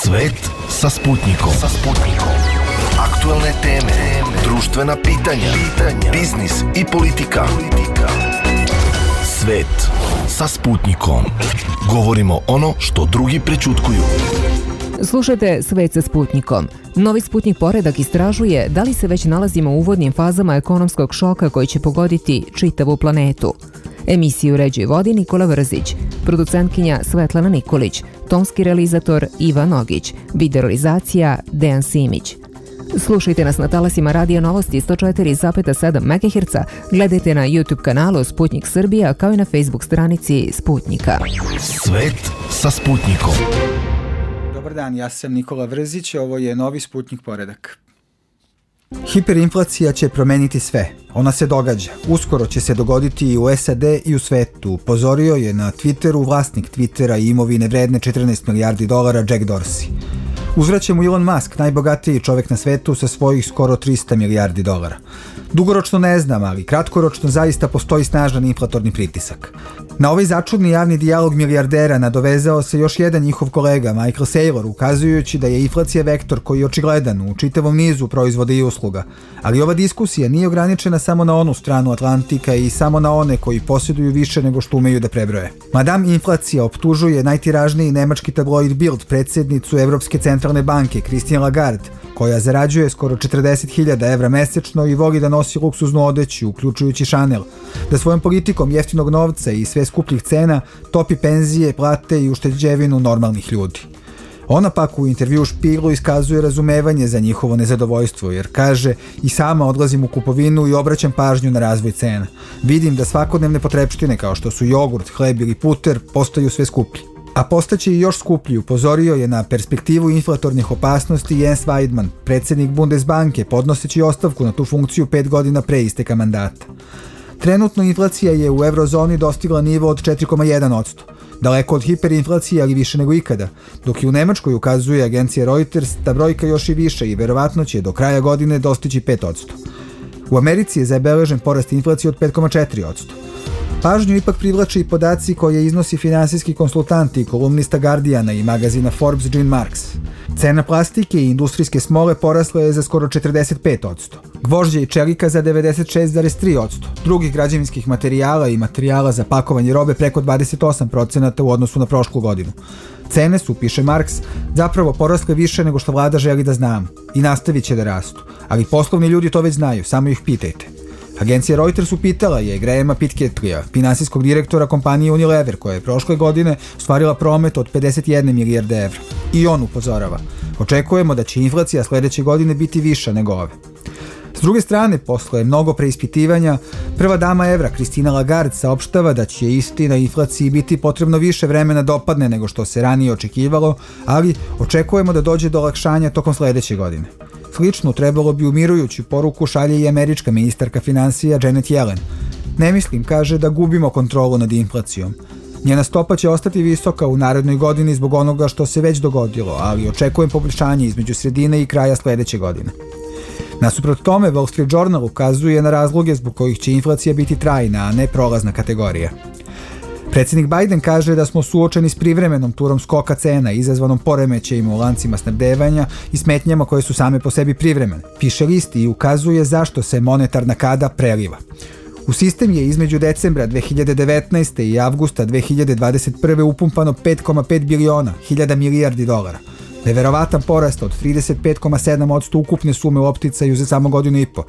Svet sa Sputnikom. Aktuelne teme, društvena pitanja, biznis i politika. Svet sa Sputnikom. Govorimo ono što drugi prećutkuju. Slušajte Svet sa Sputnikom. Novi Sputnik poredak istražuje da li se već nalazimo u uvodnim fazama ekonomskog šoka koji će pogoditi čitavu planetu. Emisiju uređuje vodi Nikola Vrzić, producentkinja Svetlana Nikolić, tonski realizator Ivan Nogić, videorealizacija Dejan Simić. Slušajte nas na talasima Radio Novosti 104,7 MHz, gledajte na YouTube kanalu Sputnik Srbija kao i na Facebook stranici Sputnika. Svet sa Sputnikom. Dobar dan, ja sam Nikola Vrzić, ovo je novi Sputnik poredak. Hiperinflacija će promeniti sve. Ona se događa. Uskoro će se dogoditi i u SAD i u svetu. Upozorio je na Twitteru vlasnik Twittera i imovine vredne $14 milijardi Jack Dorsey. Uzvraća mu Elon Musk, najbogatiji čovjek na svetu sa svojih skoro $300 milijardi. Dugoročno ne znam, ali kratkoročno zaista postoji snažan inflatorni pritisak. Na ovaj začudni javni dijalog milijardera nadovezao se još jedan njihov kolega, Michael Saylor, ukazujući da je inflacija vektor koji je očigledan u čitavom nizu proizvoda i usluga. Ali ova diskusija nije ograničena samo na onu stranu Atlantika i samo na one koji posjeduju više nego što umeju da prebroje. Madame Inflacija optužuje najtiražniji nemački tabloid Bild, predsjednicu Evropske centralne banke Christine Lagarde, koja zarađuje skoro 40.000 evra mesečno i voli da nosi luksuznu odeću, uključujući Chanel, da svojom politikom jeftinog novca i sve skupljih cena topi penzije, plate i ušteđevinu normalnih ljudi. Ona pak u intervju Špieglu iskazuje razumevanje za njihovo nezadovoljstvo, jer kaže: i sama odlazim u kupovinu i obraćam pažnju na razvoj cena. Vidim da svakodnevne potrepštine kao što su jogurt, hleb ili puter postaju sve skuplji. A postaće i još skuplji, upozorio je na perspektivu inflatornih opasnosti Jens Weidmann, predsjednik Bundesbanke, podnoseći ostavku na tu funkciju 5 godina pre isteka mandata. Trenutno inflacija je u eurozoni dostigla nivo od 4,1%, daleko od hiperinflacije, ali više nego ikada, dok i u Nemačkoj, ukazuje agencija Reuters, ta brojka još i više i verovatno će do kraja godine dostići 5%. U Americi je zabeležen porast inflacije od 5,4%. Pažnju ipak privlače i podaci koje iznosi finansijski konsultant i kolumnista Guardiana i magazina Forbes Gene Marks. Cena plastike i industrijske smole porasla je za skoro 45%, gvožđa i čelika za 96,3%, drugih građevinskih materijala i materijala za pakovanje robe preko 28% u odnosu na prošlu godinu. Cene su, piše Marks, zapravo porasle više nego što vlada želi da znamo i nastavit će da rastu, ali poslovni ljudi to već znaju, samo ih pitajte. Agencija Reuters upitala je Grahama Pitcairna, finansijskog direktora kompanije Unilever, koja je prošle godine ostvarila promet od 51 milijarde evra. I on upozorava: očekujemo da će inflacija sledeće godine biti viša nego ove. S druge strane, posle mnogo preispitivanja, prva dama evra Christine Lagarde saopštava da će istina inflaciji biti potrebno više vremena da opadne nego što se ranije očekivalo, ali očekujemo da dođe do olakšanja tokom sledeće godine. Slično trebalo bi umirujuću poruku šalje i američka ministarka finansija Janet Yellen. Ne mislim, kaže, da gubimo kontrolu nad inflacijom. Njena stopa će ostati visoka u narednoj godini zbog onoga što se već dogodilo, ali očekujem poboljšanje između sredine i kraja sledeće godine. Nasuprot tome, Wall Street Journal ukazuje na razloge zbog kojih će inflacija biti trajna, a ne prolazna kategorija. Predsjednik Biden kaže da smo suočeni s privremenom turom skoka cena izazvanom poremećajima u lancima snabdevanja i smetnjama koje su same po sebi privremene. Piše list i ukazuje zašto se monetarna kada preliva. U sistem je između decembra 2019. i avgusta 2021. upumpano 5,5 biliona, milijardi dolara. Neverovatan porast od 35,7% ukupne sume u opticaju za samo godinu i po,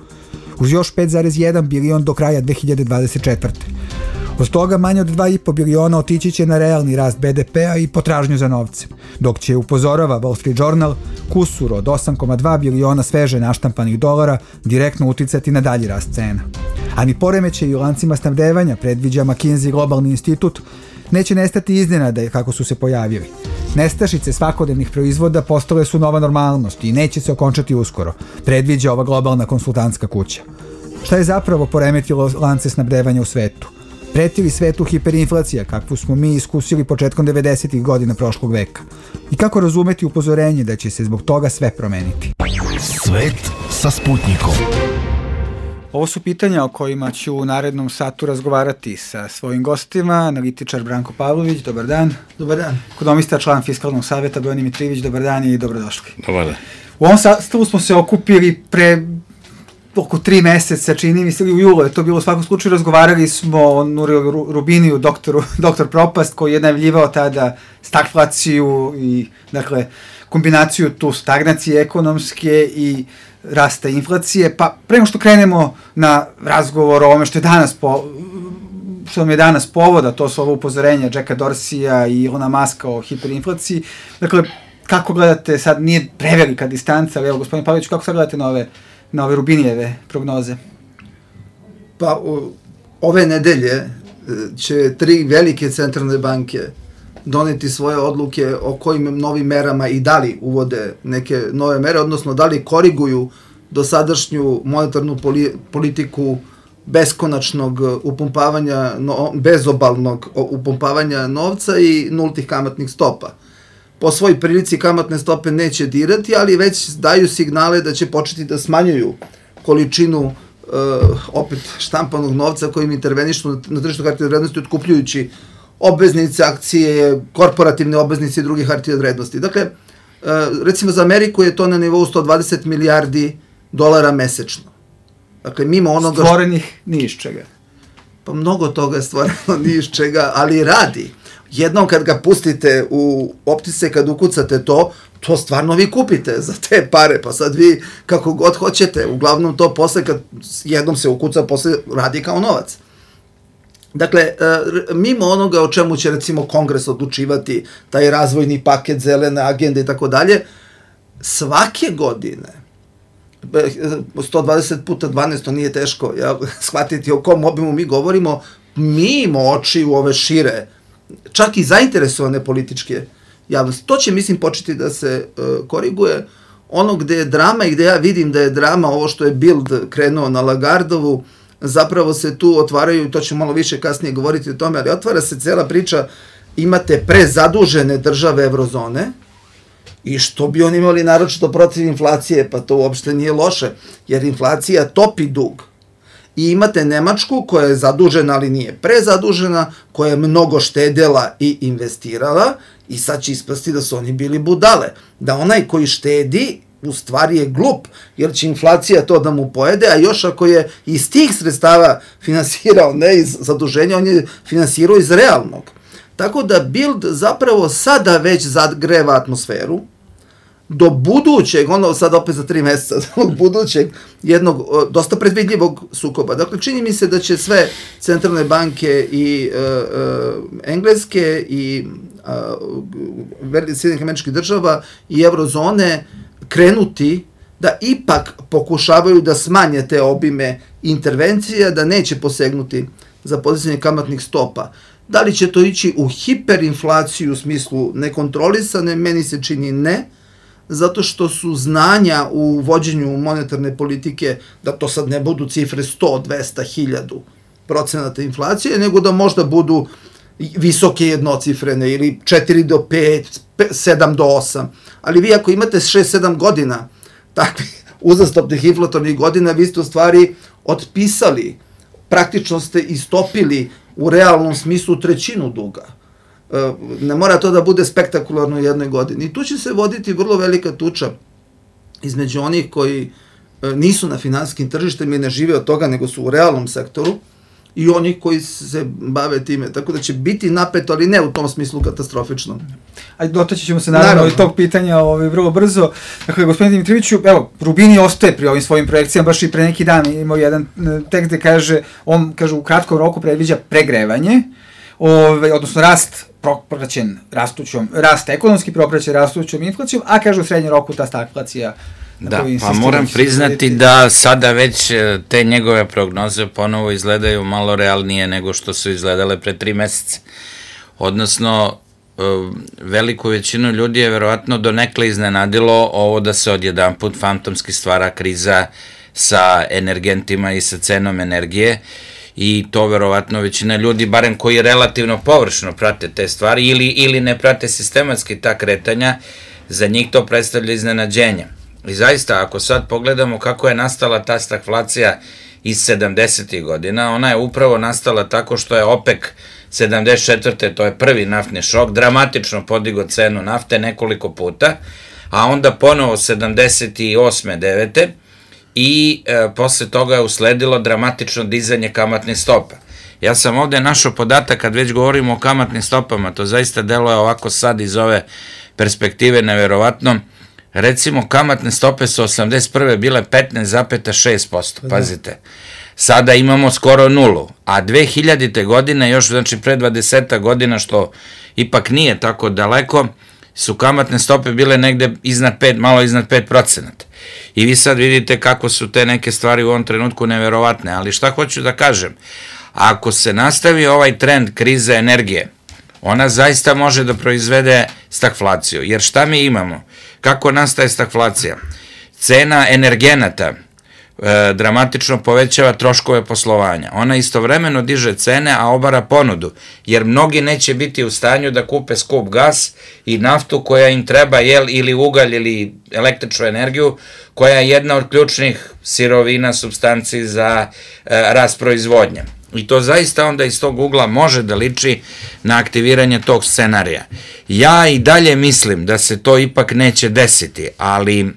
uz još 5,1 bilion do kraja 2024. Od toga manje od 2,5 biliona otići će na realni rast BDP-a i potražnju za novcem, dok će, upozorava Wall Street Journal, kusur od 8,2 biliona sveže naštampanih dolara direktno uticati na dalji rast cena. A ni poremećaji u lancima snabdevanja, predviđa McKinsey globalni institut, neće nestati iznenada kako su se pojavili. Nestašice svakodnevnih proizvoda postale su nova normalnost i neće se okončati uskoro, predviđa ova globalna konsultantska kuća. Šta je zapravo poremetilo lance snabdevanja u svetu? Preti li svetu hiperinflacija, kakvu smo mi iskusili početkom 90. godina prošlog veka? I kako razumeti upozorenje da će se zbog toga sve promeniti? Svet sa Sputnikom. Ovo su pitanja o kojima ću u narednom satu razgovarati sa svojim gostima. Analitičar Branko Pavlović, dobar dan. Dobar dan. Ekonomista, član Fiskalnog saveta Bojani Mitrijević, dobar dan i dobrodošli. Dobar dan. U ovom sastavu smo se okupili pre oko 3 meseca, čini mi se, u julu je to bilo, u svakom slučaju razgovarali smo o Nurilu Rubiniju, doktor Propast, koji je najavljivao tada stagflaciju i, dakle, kombinaciju tu stagnacije ekonomske i rasta inflacije. Pa pre nego što krenemo na razgovor o ovome što nam je danas povoda, to su ovo upozorenja Jacka Dorsija i Elona Muska o hiperinflaciji. Dakle, kako gledate, sad nije prevelika distanca, ali evo, gospodin Pavlović, kako sad gledate na ove Rubinijeve prognoze? Pa ove nedelje će 3 velike centralne banke doneti svoje odluke o kojim novim merama i da li uvode neke nove mere, odnosno da li koriguju dosadašnju monetarnu politiku beskonačnog upumpavanja, bezobalnog upumpavanja novca i nultih kamatnih stopa. Po svoj prilici kamatne stope neće dirati, ali već daju signale da će početi da smanjuju količinu opet štampanog novca kojim intervenišu na tržištu hartija od vrednosti otkupljujući obveznice, akcije, korporativne obveznice i druge hartije od vrednosti. Dakle, recimo za Ameriku je to na nivou 120 milijardi dolara mesečno. Dakle, mimo onoga... Stvorenih ni iz čega. Pa mnogo toga je stvoreno ni iz čega, ali radi. Jednom kad ga pustite u optice, kad ukucate to stvarno vi kupite za te pare, pa sad vi kako god hoćete, uglavnom to posle kad jednom se ukuca, posle radi kao novac. Dakle, mimo onoga o čemu će recimo Kongres odlučivati, taj razvojni paket, zelene agende i tako dalje, svake godine 120 puta 12, to nije teško shvatiti o kom obimu mi govorimo, mimo oči u ove šire, čak i zainteresovane političke javnosti. To će, mislim, početi da se koriguje. Ono gde je drama i gde ja vidim da je drama, ovo što je Bild krenuo na Lagardovu, zapravo se tu otvaraju, to ću malo više kasnije govoriti o tome, ali otvara se cela priča, imate prezadužene države evrozone, i što bi oni imali naročito protiv inflacije, pa to uopšte nije loše, jer inflacija topi dug. I imate Nemačku koja je zadužena, ali nije prezadužena, koja je mnogo štedela i investirala, i sad će ispasti da su oni bili budale. Da onaj koji štedi u stvari je glup, jer će inflacija to da mu pojede, a još ako je iz tih sredstava finansirao, ne iz zaduženja, on je finansirao iz realnog. Tako da Bild zapravo sada već zagreva atmosferu, do budućeg, ono sad opet za 3 meseca, do budućeg jednog dosta predvidljivog sukoba. Dakle, čini mi se da će sve centralne banke i Engleske i Sjedinjenih Američkih Država i evrozone krenuti da ipak pokušavaju da smanje te obime intervencija, da neće posegnuti za podizanje kamatnih stopa. Da li će to ići u hiperinflaciju u smislu nekontrolisane, meni se čini ne, zato što su znanja u vođenju monetarne politike da to sad ne budu cifre 100, 200, 1000% inflacije, nego da možda budu visoke jednocifrene ili 4 do 5, 7 do 8. Ali vi ako imate 6-7 godina takvih uzastopnih inflatornih godina, vi ste u stvari otpisali, praktično ste istopili u realnom smislu 1/3 duga. Ne mora to da bude spektakularno u jednoj godini. I tu će se voditi vrlo velika tuča između onih koji nisu na finansijskim tržištima i ne žive od toga, nego su u realnom sektoru, i onih koji se bave time. Tako da će biti napeto, ali ne u tom smislu katastrofično. Ajde, dotaći ćemo se naravno i tog pitanja vrlo brzo. Dakle, gospodine Dimitrijeviću, evo, Rubini ostaje pri ovim svojim projekcijama, baš i pre neki dan imao jedan tekst gde kaže, on kaže u kratkom roku predviđa pregrevanje, odnosno rast propraćen rast ekonomski propraćen rastućom inflacijom, a kaže u srednjem roku ta stagflacija. Da, pa moram priznati da sada već te njegove prognoze ponovo izgledaju malo realnije nego što su izgledale pre 3 meseca. Odnosno, veliku većinu ljudi je verovatno donekle iznenadilo ovo da se odjedanput fantomski stvara kriza sa energentima i sa cenom energije, i to verovatno većina ljudi, barem koji relativno površno prate te stvari ili ne prate sistematski ta kretanja, za njih to predstavlja iznenađenje. I zaista, ako sad pogledamo kako je nastala ta stagflacija iz 70. godina, ona je upravo nastala tako što je OPEC 74. to je prvi naftni šok, dramatično podigo cenu nafte nekoliko puta, a onda ponovo 78. 9. i posle toga je usledilo dramatično dizanje kamatnih stopa. Ja sam ovde našao podatak, kad već govorimo o kamatnim stopama, to zaista deluje ovako sad iz ove perspektive neverovatno. Recimo, kamatne stope su 81. bile 15,6%, pazite. Sada imamo skoro nulu, a 2000. godine, još znači pre 20 godina, što ipak nije tako daleko, su kamatne stope bile negde malo iznad 5%. I vi sad vidite kako su te neke stvari u ovom trenutku neverovatne, ali šta hoću da kažem? Ako se nastavi ovaj trend krize energije, ona zaista može da proizvede stagflaciju, jer šta mi imamo? Kako nastaje stagflacija? Cena energenata dramatično povećava troškove poslovanja. Ona istovremeno diže cene, a obara ponudu, jer mnogi neće biti u stanju da kupe skup gas i naftu koja im treba, ili ugalj ili električnu energiju, koja je jedna od ključnih sirovina, supstanci za rast proizvodnje. I to zaista onda iz tog ugla može da liči na aktiviranje tog scenarija. Ja i dalje mislim da se to ipak neće desiti, ali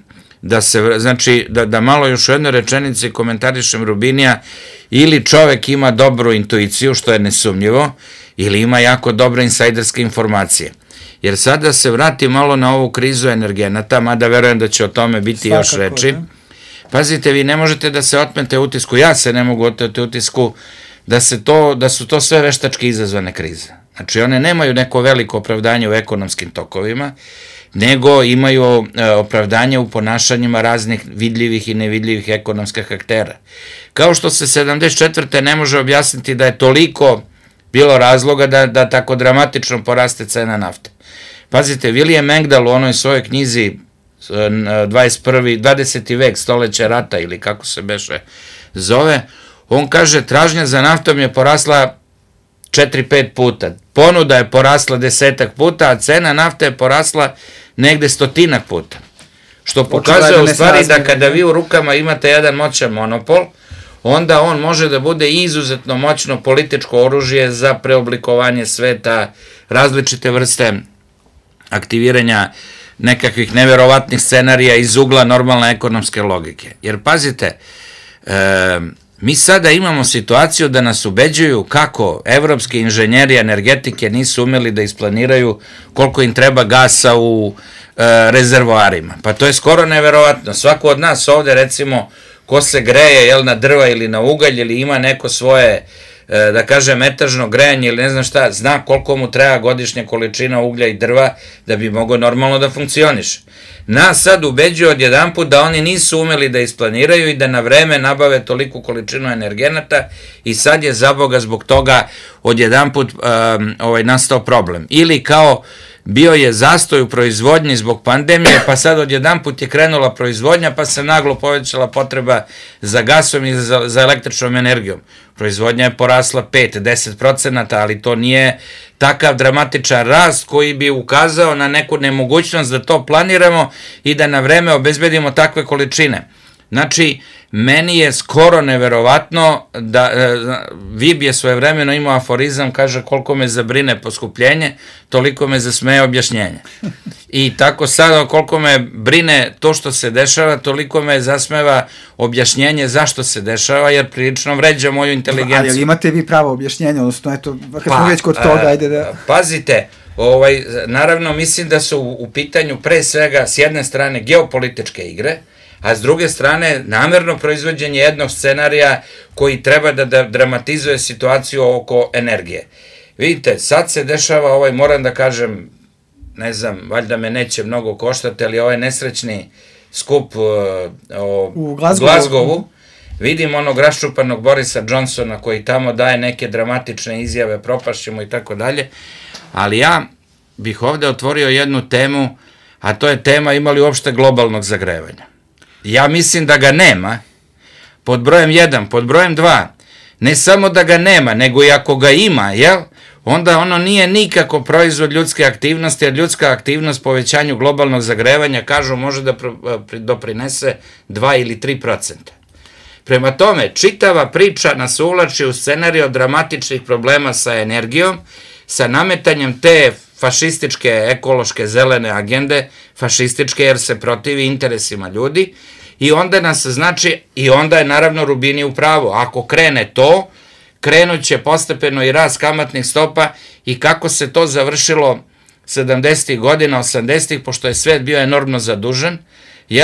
da malo još u jednoj rečenici komentarišem Rubinija, ili čovek ima dobru intuiciju, što je nesumnjivo, ili ima jako dobre insajderske informacije. Jer sad da se vrati malo na ovu krizu energenata, mada verujem da će o tome biti još reči. Pazite, vi ne možete da se otmete utisku, ja se ne mogu otmeti utisku da su to sve veštački izazvane krize. Znači, one nemaju neko veliko opravdanje u ekonomskim tokovima, nego imaju opravdanje u ponašanjima raznih vidljivih i nevidljivih ekonomskih aktera. Kao što se 74. ne može objasniti da je toliko bilo razloga da tako dramatično poraste cena nafte. Pazite, William Engdahl u onoj svojoj knjizi 20. vek, stoleće rata, ili kako se beše zove, on kaže, tražnja za naftom je porasla 4-5 puta, ponuda je porasla 10 puta, a cena nafte je porasla negde 100 puta. Što pokazuje u stvari da kada vi u rukama imate jedan moćan monopol, onda on može da bude izuzetno moćno političko oružje za preoblikovanje sveta, različite vrste aktiviranja nekakvih neverovatnih scenarija iz ugla normalne ekonomske logike. Jer pazite, mi sada imamo situaciju da nas ubeđuju kako evropski inženjeri energetike nisu umeli da isplaniraju koliko im treba gasa u rezervoarima. Pa to je skoro neverovatno. Svako od nas ovde, recimo, ko se greje na drva ili na ugalj ili ima neko svoje, da kažem, etažno grejanje ili ne znam šta, zna koliko mu treba godišnja količina uglja i drva da bi mogao normalno da funkcioniše. Nas sad ubeđuju odjedanput da oni nisu umeli da isplaniraju i da na vreme nabave toliku količinu energenata i sad je za Boga zbog toga odjedanput nastao problem. Ili kao bio je zastoj u proizvodnji zbog pandemije, pa sad odjedanput je krenula proizvodnja, pa se naglo povećala potreba za gasom i za električnom energijom. Proizvodnja je porasla 5-10%, ali to nije takav dramatičan rast koji bi ukazao na neku nemogućnost da to planiramo i da na vreme obezbedimo takve količine. Znači, meni je skoro neverovatno da Vib je svojevremeno imao aforizam, kaže koliko me zabrine poskupljenje, toliko me zasmeje objašnjenje. I tako sada koliko me brine to što se dešava, toliko me zasmeva objašnjenje zašto se dešava, jer prilično vređa moju inteligenciju. Ali imate vi pravo objašnjenje, odnosno eto, kad smo već kod toga, ajde da... Pazite, naravno mislim da su u pitanju pre svega s jedne strane geopolitičke igre, a s druge strane namerno proizvođenje jednog scenarija koji treba da dramatizuje situaciju oko energije. Vidite, sad se dešava moram da kažem, ne znam, valjda me neće mnogo koštati, ali ovaj nesrećni skup u Glazgovu, vidim onog raščupanog Borisa Johnsona koji tamo daje neke dramatične izjave, propašćemo i tako dalje, ali ja bih ovde otvorio jednu temu, a to je tema imali uopšte globalnog zagrevanja. Ja mislim da ga nema, pod brojem 1, pod brojem 2, ne samo da ga nema, nego i ako ga ima, onda ono nije nikako proizvod ljudske aktivnosti, jer ljudska aktivnost povećanju globalnog zagrevanja, kažu, može da doprinese 2 ili 3%. Prema tome, čitava priča nas uvlači u scenariju dramatičnih problema sa energijom, sa nametanjem te fašističke, ekološke, zelene agende, fašističke jer se protivi interesima ljudi, i onda nas znači, i onda je naravno Rubini u pravu, ako krene to, krenut će postepeno i rast kamatnih stopa, i kako se to završilo 70. godina, 80. pošto je svet bio enormno zadužen,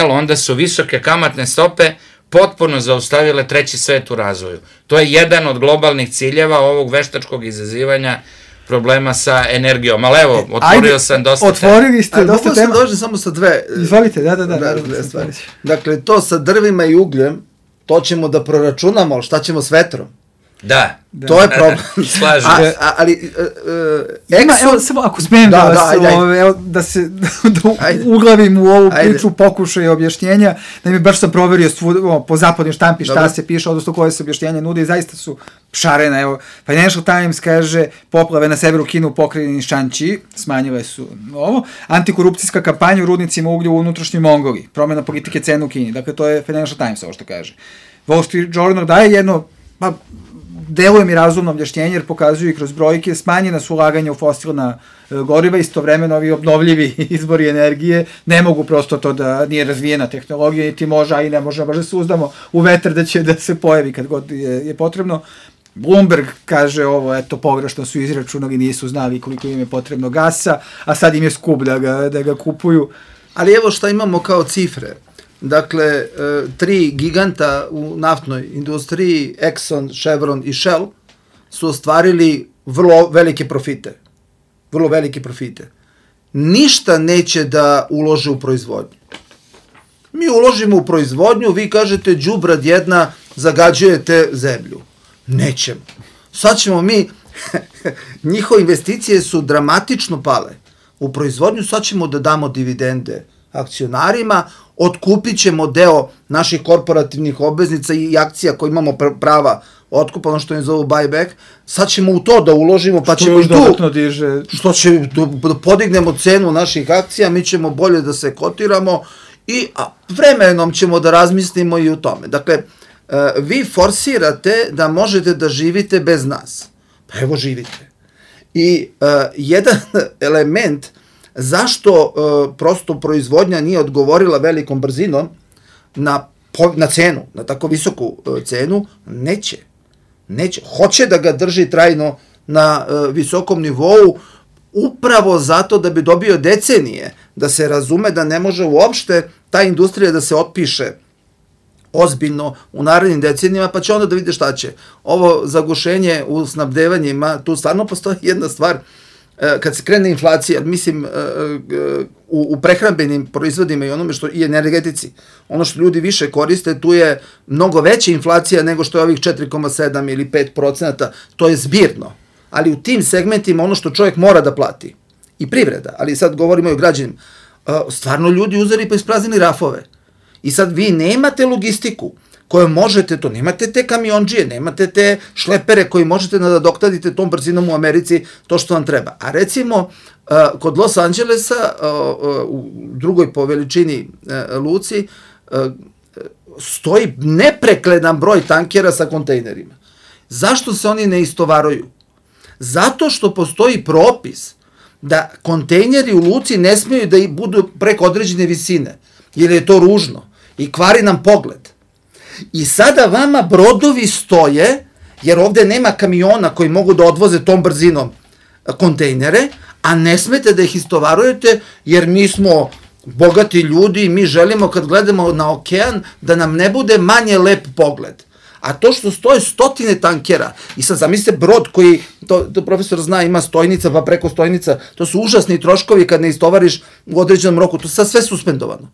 onda su visoke kamatne stope potpuno zaustavile treći svet u razvoju. To je jedan od globalnih ciljeva ovog veštačkog izazivanja problema sa energijom. Ali evo, otvorio sam dosta tema. Otvorili ste dosta tema. Mogu sam dođem samo sa dve. Izvolite, da. Dve stvari. Dakle, to sa drvima i ugljem, to ćemo da proračunamo, ali šta ćemo s vetrom? Da. To je problem. Slažem. Ali evo, samo ako smijem da se uglavim u ovu priču, pokušaj objašnjenja, baš sam proverio po zapadnoj štampi šta se piše, odnosno koje se objašnjenja nude i zaista su šarena. Evo, Financial Times kaže, poplave na severu Kine u pokrajini Šanči, smanjile su ovo, antikorupcijska kampanja u rudnicima uglja u unutrašnjoj Mongoliji, promjena politike cena u Kini, dakle to je Financial Times ovo što kaže. Wall Street Journal daje jedno, deluje mi razumno objašnjenje jer pokazuju i kroz brojke, smanjena su ulaganja u fosilna goriva, istovremeno ovi obnovljivi izvori energije ne mogu prosto to da nije razvijena tehnologija, niti može, a i ne može, baš da se uzdamo u vetar da će da se pojavi kad god je potrebno. Bloomberg kaže ovo, eto, pogrešno su izračunali, nisu znali koliko im je potrebno gasa, a sad im je skup da ga kupuju. Ali evo šta imamo kao cifre. Dakle, 3 giganta u naftnoj industriji, Exxon, Chevron i Shell, su ostvarili vrlo velike profite. Vrlo velike profite. Ništa neće da ulože u proizvodnju. Mi uložimo u proizvodnju, vi kažete, đubrad jedna, zagađujete zemlju. Nećemo. Sad ćemo mi, njihove investicije su dramatično pale u proizvodnju, sad ćemo da damo dividende akcionarima, otkupit ćemo deo naših korporativnih obveznica i akcija koje imamo prava otkupa, ono što im zovu buyback, sad ćemo u to da uložimo, pa ćemo i tu, što će da podignemo cenu naših akcija, mi ćemo bolje da se kotiramo i vremenom ćemo da razmislimo i u tome. Dakle, vi forsirate da možete da živite bez nas. Pa evo živite. I jedan element zašto prosto proizvodnja nije odgovorila velikom brzinom na cenu, na tako visoku cenu, neće. Hoće da ga drži trajno na visokom nivou, upravo zato da bi dobio decenije, da se razume da ne može uopšte ta industrija da se otpiše ozbiljno u narednim decenijama, pa će onda da vide šta će. Ovo zagušenje u snabdevanjima, tu stvarno postoji jedna stvar, kad se krene inflacija, mislim, u prehrambenim proizvodima i onome što i energetici, ono što ljudi više koriste, tu je mnogo veća inflacija nego što je ovih 4,7 ili 5%, to je zbirno. Ali u tim segmentima ono što čovjek mora da plati, i privreda, ali sad govorimo i o građanima, stvarno ljudi uzeli pa ispraznili rafove. I sad vi nemate logistiku koje možete, to nemate te kamionđije, nemate te šlepere koji možete da doktadite tom brzinom u Americi to što vam treba. A recimo, kod Los Angelesa, u drugoj po veličini luci, stoji neprekledan broj tankera sa kontejnerima. Zašto se oni ne istovaruju? Zato što postoji propis da kontejneri u luci ne smiju da budu preko određene visine, jer je to ružno i kvari nam pogled. I sada vama brodovi stoje, jer ovde nema kamiona koji mogu da odvoze tom brzinom kontejnere, a ne smete da ih istovarujete, jer mi smo bogati ljudi i mi želimo kad gledamo na okean da nam ne bude manje lep pogled. A to što stoje stotine tankera, i sad zamislite brod koji, to profesor zna, ima stojnica pa preko stojnica, to su užasni troškovi kad ne istovariš u određenom roku, to je sad sve suspendovano.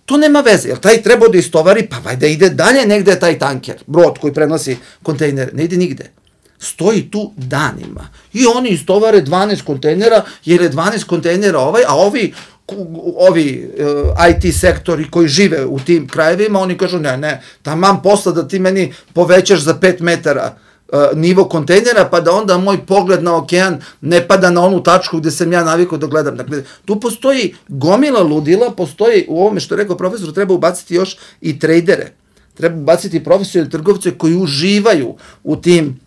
To nema veze, jer taj treba da istovari, pa vajda ide dalje negde taj tanker, brod koji prenosi kontejnere, ne ide nigde. Stoji tu danima. I oni istovare 12 kontejnera, jer je 12 kontejnera a ovi IT sektori koji žive u tim krajevima, oni kažu ne, taman posla da ti meni povećaš za 5 metara nivo kontejnera, pa da onda moj pogled na okean ne pada na onu tačku gde sam ja navikao da gledam. Dakle, tu postoji gomila ludila, postoji u ovome što je rekao profesor, treba ubaciti još i trejdere. treba baciti profesionalne trgovce koji uživaju u tim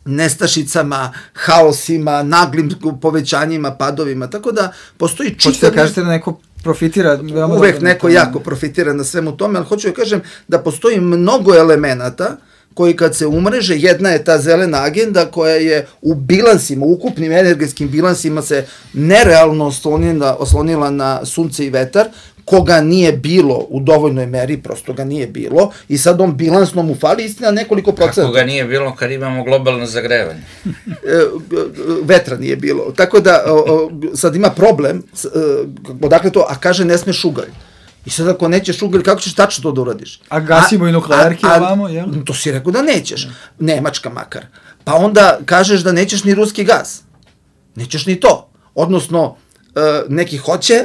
nestašicama, haosima, naglim povećanjima, padovima, tako da postoji čitav... Hoćete da kažete da neko profitira? Uvek neko jako profitira na svemu tome, ali hoću da kažem da postoji mnogo elemenata koji kad se umreže, jedna je ta zelena agenda koja je u bilansima, ukupnim energetskim bilansima se nerealno oslonila na sunce i vetar, koga nije bilo u dovoljnoj meri, prosto ga nije bilo, i sad on bilansno mu fali, istina, nekoliko procenta. Kako ga nije bilo kad imamo globalno zagrevanje? Vetra nije bilo. Tako da sad ima problem, odakle to, a kaže ne smeš ugalj. I sad ako nećeš ugalj, kako ćeš tačno to da uradiš? A gasimo i nuklearke ovamo, jel? To si rekao da nećeš. Nemačka makar. Pa onda kažeš da nećeš ni ruski gas. Nećeš ni to. Odnosno, neki hoće,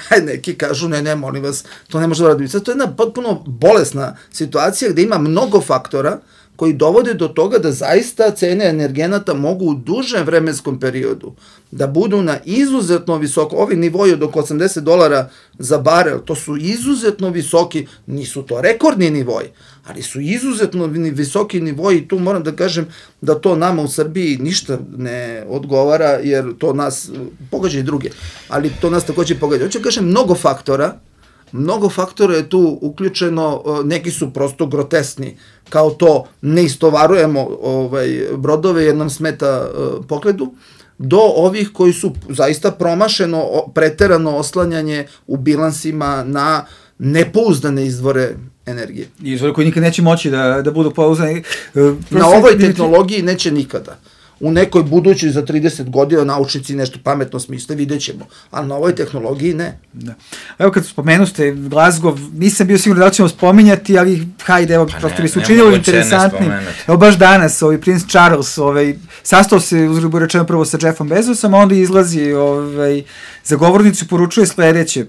a neki kažu ne, molim vas, to ne može da uraditi. Sad to je jedna potpuno bolesna situacija gde ima mnogo faktora koji dovode do toga da zaista cene energenata mogu u dužem vremenskom periodu da budu na izuzetno visoko, ovi nivoji od oko $80 za barel, to su izuzetno visoki, nisu to rekordni nivoji, ali su izuzetno visoki nivoji i tu moram da kažem da to nama u Srbiji ništa ne odgovara, jer to nas pogađa i druge, ali to nas takođe pogađa. Hoću da kažem, mnogo faktora je tu uključeno, neki su prosto grotesni, kao to ne istovarujemo brodove jer nam smeta pokledu, do ovih koji su zaista promašeno, preterano oslanjanje u bilansima na nepouzdane izvore energije. Izvore koji nikad neće moći da budu pouzdani. Na ovoj tehnologiji neće nikada. U nekoj budućoj za 30 godina naučnici nešto pametno smisle, vidjet ćemo, ali na ovoj tehnologiji ne. Da. Evo kad spomenuste Glasgow, nisam bio sigurno da ćemo spominjati, ali hajde, evo, prosto mi se učinilo interesantnim. Evo baš danas, princ Charles, sastao se, uzgrubo rečeno, prvo sa Jeffom Bezosom, a onda izlazi za govornicu i poručuje sledeće.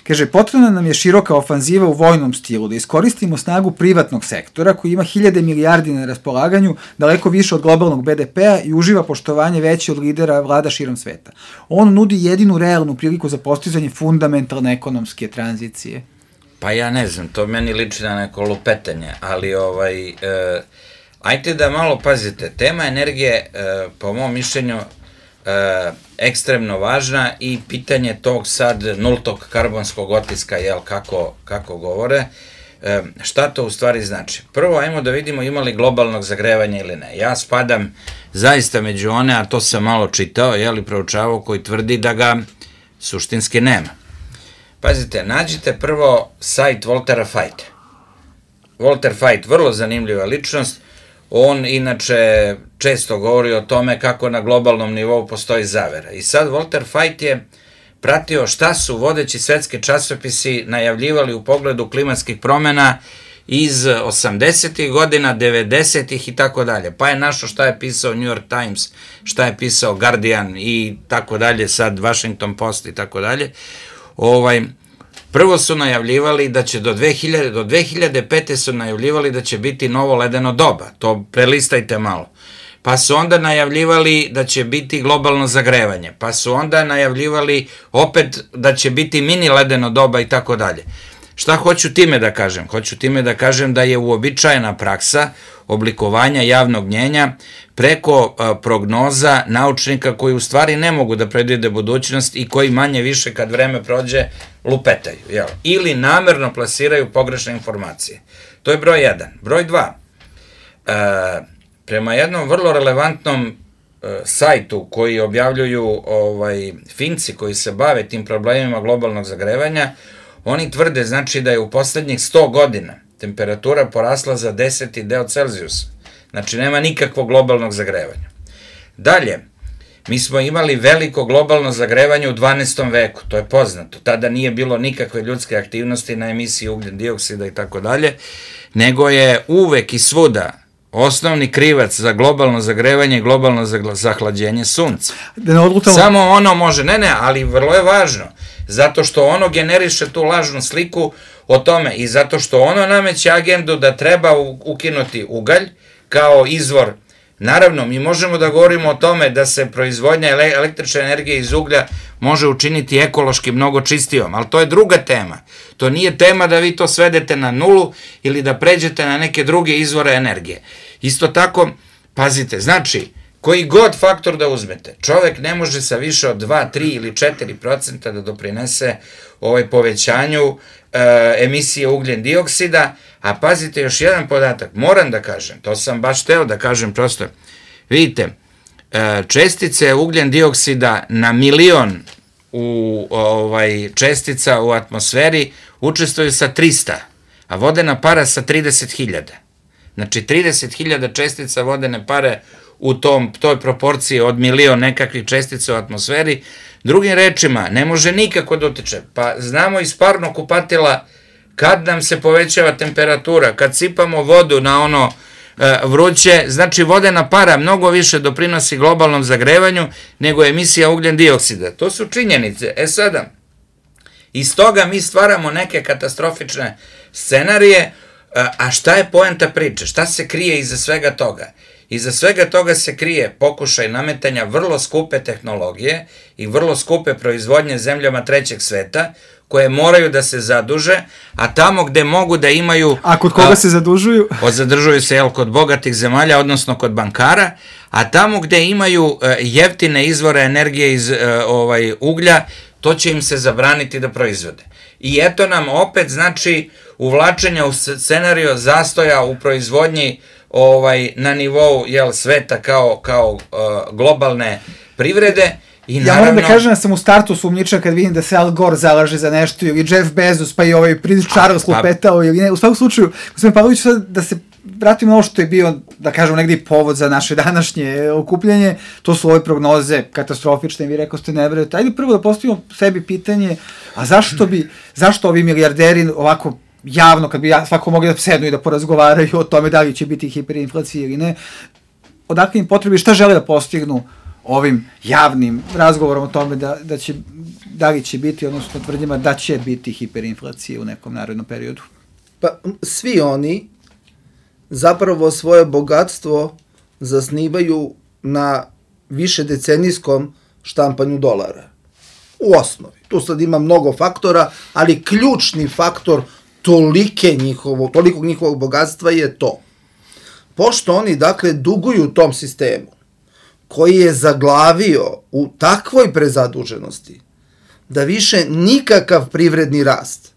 Kaže, potrebna nam je široka ofanziva u vojnom stilu, da iskoristimo snagu privatnog sektora koji ima 1000 milijardi na raspolaganju, daleko više od globalnog BDP-a i uživa poštovanje veće od lidera vlada širom sveta. On nudi jedinu realnu priliku za postizanje fundamentalne ekonomske tranzicije. Pa ja ne znam, to meni liči na neko lupetanje, ali ajte da malo pazite, tema energije, po mom mišljenju, ekstremno važna i pitanje tog sad nultog karbonskog otiska, kako govore, šta to u stvari znači? Prvo, ajmo da vidimo ima li globalnog zagrevanja ili ne. Ja spadam zaista među one, a to sam malo čitao, proučavao, koji tvrdi da ga suštinski nema. Pazite, nađite prvo sajt Waltera Fajta. Walter Fajt, vrlo zanimljiva ličnost. On inače često govori o tome kako na globalnom nivou postoji zavera. I sad Walter Fajt je pratio šta su vodeći svetski časopisi najavljivali u pogledu klimatskih promena iz 80. godina, 90. i tako dalje. Pa je našao šta je pisao New York Times, šta je pisao Guardian i tako dalje, sad Washington Post i tako dalje. Prvo su najavljivali da će do 2005. su najavljivali da će biti novo ledeno doba, to prelistajte malo. Pa su onda najavljivali da će biti globalno zagrevanje, pa su onda najavljivali opet da će biti mini ledeno doba i tako dalje. Šta hoću time da kažem? Hoću time da kažem da je uobičajena praksa oblikovanja javnog mnjenja preko prognoza naučnika koji u stvari ne mogu da predvide budućnost i koji manje više kad vreme prođe lupetaju, ili namerno plasiraju pogrešne informacije. To je broj 1. Broj 2. Prema jednom vrlo relevantnom sajtu koji objavljuju Finci koji se bave tim problemima globalnog zagrevanja, oni tvrde znači da je u poslednjih 100 godina temperatura porasla za 10 deo Celzijusa. Znači nema nikakvog globalnog zagrevanja. Dalje, mi smo imali veliko globalno zagrevanje u 12. veku, to je poznato. Tada nije bilo nikakve ljudske aktivnosti na emisiji ugljen dioksida i tako dalje, nego je uvek i svuda osnovni krivac za globalno zagrevanje i globalno zahlađenje sunca. Samo ono može, ali vrlo je važno, zato što ono generiše tu lažnu sliku o tome i zato što ono nameće agendu da treba ukinuti ugalj kao izvor. Naravno, mi možemo da govorimo o tome da se proizvodnja električne energije iz uglja može učiniti ekološki mnogo čistijom, ali to je druga tema. To nije tema da vi to svedete na nulu ili da pređete na neke druge izvore energije. Isto tako, pazite, znači, koji god faktor da uzmete, čovek ne može sa više od 2, 3 ili 4% da doprinese povećanju emisije ugljen dioksida, a pazite još jedan podatak, moram da kažem, to sam baš teo da kažem prosto, vidite, čestice ugljen dioksida na milion čestica u atmosferi učestvuju sa 300, a vodena para sa 30.000. Znači 30.000 čestica vodene pare u toj proporciji od milion nekakvih čestica u atmosferi. Drugim rečima, ne može nikako da utiče. Pa znamo iz parnog kupatila kad nam se povećava temperatura, kad sipamo vodu na ono vruće, znači vodena para mnogo više doprinosi globalnom zagrevanju nego emisija ugljen dioksida. To su činjenice. Sada, iz toga mi stvaramo neke katastrofične scenarije, a šta je poenta priče? Šta se krije iza svega toga? Iza svega toga se krije pokušaj nametanja vrlo skupe tehnologije i vrlo skupe proizvodnje zemljama trećeg sveta, koje moraju da se zaduže, a tamo gde mogu da imaju... A kod koga se zadužuju? Zadužuju se, kod bogatih zemalja, odnosno kod bankara, a tamo gde imaju jeftine izvore energije iz uglja, to će im se zabraniti da proizvode. I eto nam opet, znači, uvlačenja u scenario zastoja u proizvodnji na nivou sveta kao globalne privrede. Ja moram da kažem da sam u startu sumnjičan kad vidim da se Al Gore zalaže za nešto ili Jeff Bezos pa i Prince Charles lupetao ili ne. U svakom slučaju, gospodin Pavlović, da se vratimo na ovo što je bio, da kažemo, negdje povod za naše današnje okupljanje, to su ove prognoze katastrofične, vi rekao ste ne verujete. Ajde prvo da postavimo sebi pitanje, a zašto ovi milijarderi ovako javno, kad bi svako mogli da sednu i da porazgovaraju o tome da li će biti hiperinflacija ili ne, odakle im potrebi, šta žele da postignu ovim javnim razgovorom o tome da li će biti, odnosno tvrdnjama da će biti hiperinflacija u nekom narednom periodu? Pa svi oni zapravo svoje bogatstvo zasnivaju na višedecenijskom štampanju dolara. U osnovi. Tu sad ima mnogo faktora, ali ključni faktor tolikog njihovog bogatstva je to. Pošto oni, dakle, duguju tom sistemu, koji je zaglavio u takvoj prezaduženosti, da više nikakav privredni rast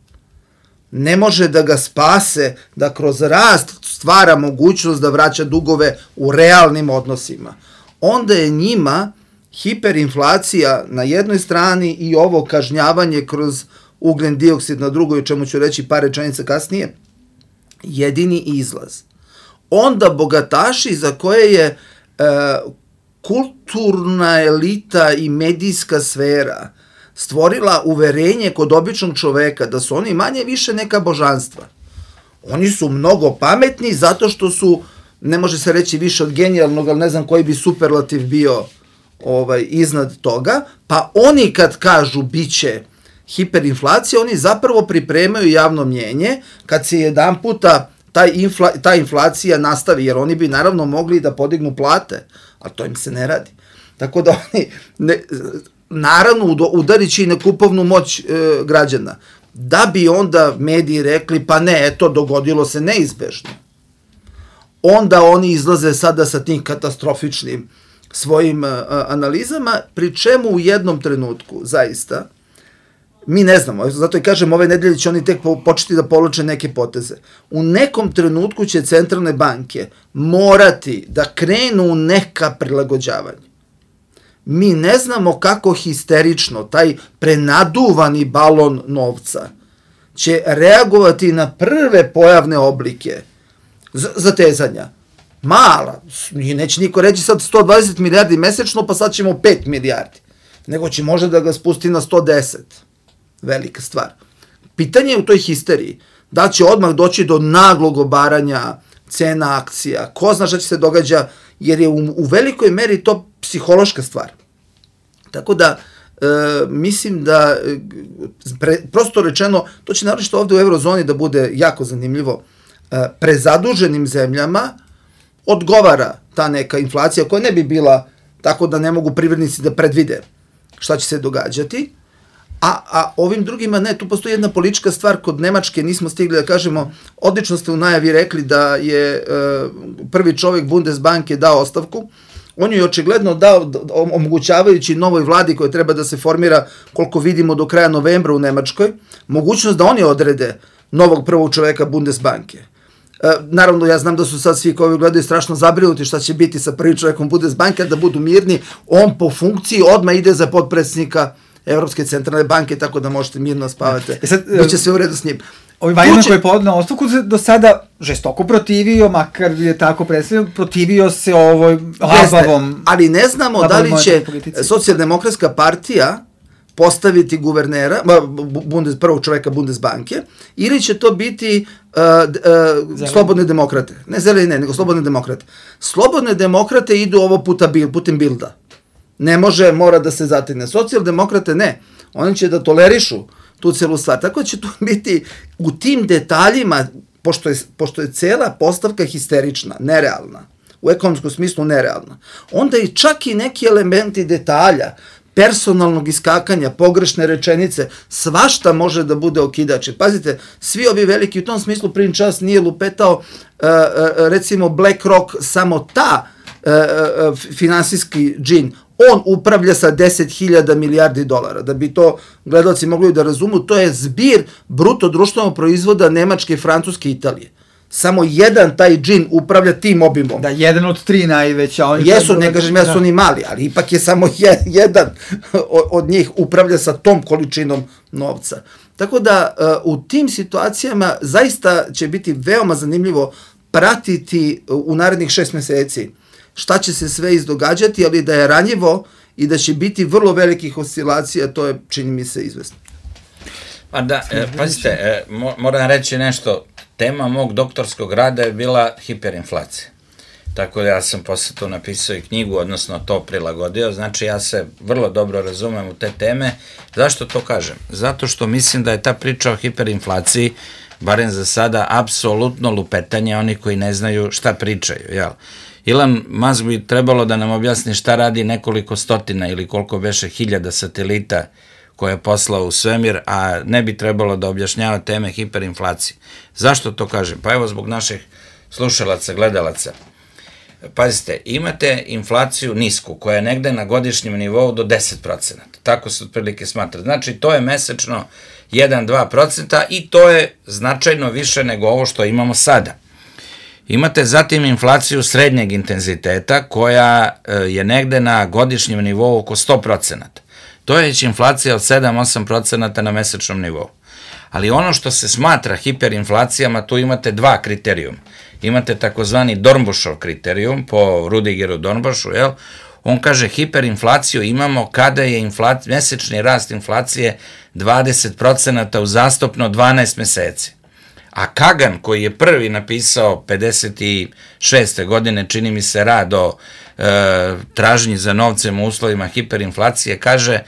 ne može da ga spase, da kroz rast stvara mogućnost da vraća dugove u realnim odnosima. Onda je njima hiperinflacija na jednoj strani i ovo kažnjavanje kroz ugljen dioksid na drugoj, o čemu ću reći par rečenica kasnije, jedini izlaz. Onda bogataši za koje je kulturna elita i medijska sfera stvorila uverenje kod običnog čoveka da su oni manje više neka božanstva. Oni su mnogo pametni zato što su, ne može se reći više od genijalnog, ali ne znam koji bi superlativ bio iznad toga, pa oni kad kažu biće hiperinflacija, oni zapravo pripremaju javno mnjenje kad se jedan puta ta inflacija nastavi, jer oni bi naravno mogli da podignu plate, ali to im se ne radi. Tako da oni, naravno, udarit će i na kupovnu moć građana. Da bi onda mediji rekli, pa ne, eto, dogodilo se neizbežno. Onda oni izlaze sada sa tim katastrofičnim svojim analizama, pri čemu u jednom trenutku, zaista, mi ne znamo, zato i kažem, ove nedelje će oni tek početi da povlače neke poteze. U nekom trenutku će centralne banke morati da krenu u neka prilagođavanja. Mi ne znamo kako histerično taj prenaduvani balon novca će reagovati na prve pojavne oblike zatezanja. Mala, neće niko reći sad 120 milijardi mesečno, pa sad ćemo 5 milijardi, nego će možda da ga spusti na 110. Velika stvar. Pitanje je u toj histeriji da će odmah doći do naglog obaranja cena akcija, ko zna šta će se događa, jer je u velikoj meri to psihološka stvar. Tako da, mislim da, prosto rečeno, to će naročito ovde u eurozoni da bude jako zanimljivo, prezaduženim zemljama odgovara ta neka inflacija koja ne bi bila tako da ne mogu privrednici da predvide šta će se događati, a ovim drugima ne, tu postoji jedna politička stvar, kod Nemačke nismo stigli da kažemo, odlično ste u najavi rekli da je prvi čovjek Bundesbanke dao ostavku, on je očigledno dao, omogućavajući novoj vladi koja treba da se formira, koliko vidimo do kraja novembra u Nemačkoj, mogućnost da oni odrede novog prvog čoveka Bundesbanke. Naravno, ja znam da su sad svi koji gledaju strašno zabrinuti šta će biti sa prvim čovekom Bundesbanke, da budu mirni, on po funkciji odmah ide za potpredsjednika Evropske centralne banke, tako da možete mirno spavati. Biće sve u redu s njim. Ovaj Vajman koji je podneo ostavku do sada žestoko protivio, makar je tako predstavljeno, protivio se ovoj labavom... Ali ne znamo da li će socijaldemokratska partija postaviti guvernera, prvog čoveka Bundesbanke, ili će to biti slobodne demokrate. Ne zeleni, ne, nego slobodne demokrate. Slobodne demokrate idu ovo putem Bilda. Ne može, mora da se zategne. Socijaldemokrate ne. Oni će da tolerišu tu celu stvar. Tako će tu biti u tim detaljima, pošto je cela postavka histerična, nerealna, u ekonomskom smislu nerealna, onda i čak i neki elementi detalja, personalnog iskakanja, pogrešne rečenice, svašta može da bude okidač. Pazite, svi ovi veliki, u tom smislu Prince Charles nije lupetao, recimo BlackRock, samo ta finansijski džin, on upravlja sa 10.000 milijardi dolara. Da bi to gledalci mogli da razumu, to je zbir bruto društvenog proizvoda Nemačke, Francuske i Italije. Samo jedan taj džin upravlja tim obimom. Da, jedan od 3 najveća. Jesu, ne kažem ja su oni mali, ali ipak je samo jedan od njih upravlja sa tom količinom novca. Tako da u tim situacijama zaista će biti veoma zanimljivo pratiti u narednih 6 meseci šta će se sve izdogađati, ali da je ranjivo i da će biti vrlo velikih oscilacija, to je, čini mi se, izvesno. Pa da, pazite, moram reći nešto, tema mog doktorskog rada je bila hiperinflacija. Tako da ja sam posle to napisao i knjigu, odnosno to prilagodio, znači ja se vrlo dobro razumem u te teme. Zašto to kažem? Zato što mislim da je ta priča o hiperinflaciji, barem za sada, apsolutno lupetanje onih koji ne znaju šta pričaju, jel? Elon Musk bi trebalo da nam objasni šta radi nekoliko stotina ili koliko beše hiljada satelita koje je poslao u svemir, a ne bi trebalo da objašnjava teme hiperinflacije. Zašto to kažem? Pa evo zbog naših slušalaca, gledalaca. Pazite, imate inflaciju nisku, koja je negde na godišnjem nivou do 10%. Tako se otprilike smatra. Znači, to je mesečno 1-2% i to je značajno više nego ovo što imamo sada. Imate zatim inflaciju srednjeg intenziteta, koja je negde na godišnjem nivou oko 100%. To je već inflacija od 7-8% na mesečnom nivou. Ali ono što se smatra hiperinflacijama, tu imate 2 kriterijuma. Imate takozvani Dornbušov kriterijum po Rudigeru Dornbušu, jel? On kaže hiperinflaciju imamo kada je mesečni rast inflacije 20% uzastopno 12 meseci. A Kagan, koji je prvi napisao 56. godine, čini mi se, rad o tražnji za novcem u uslovima hiperinflacije, kaže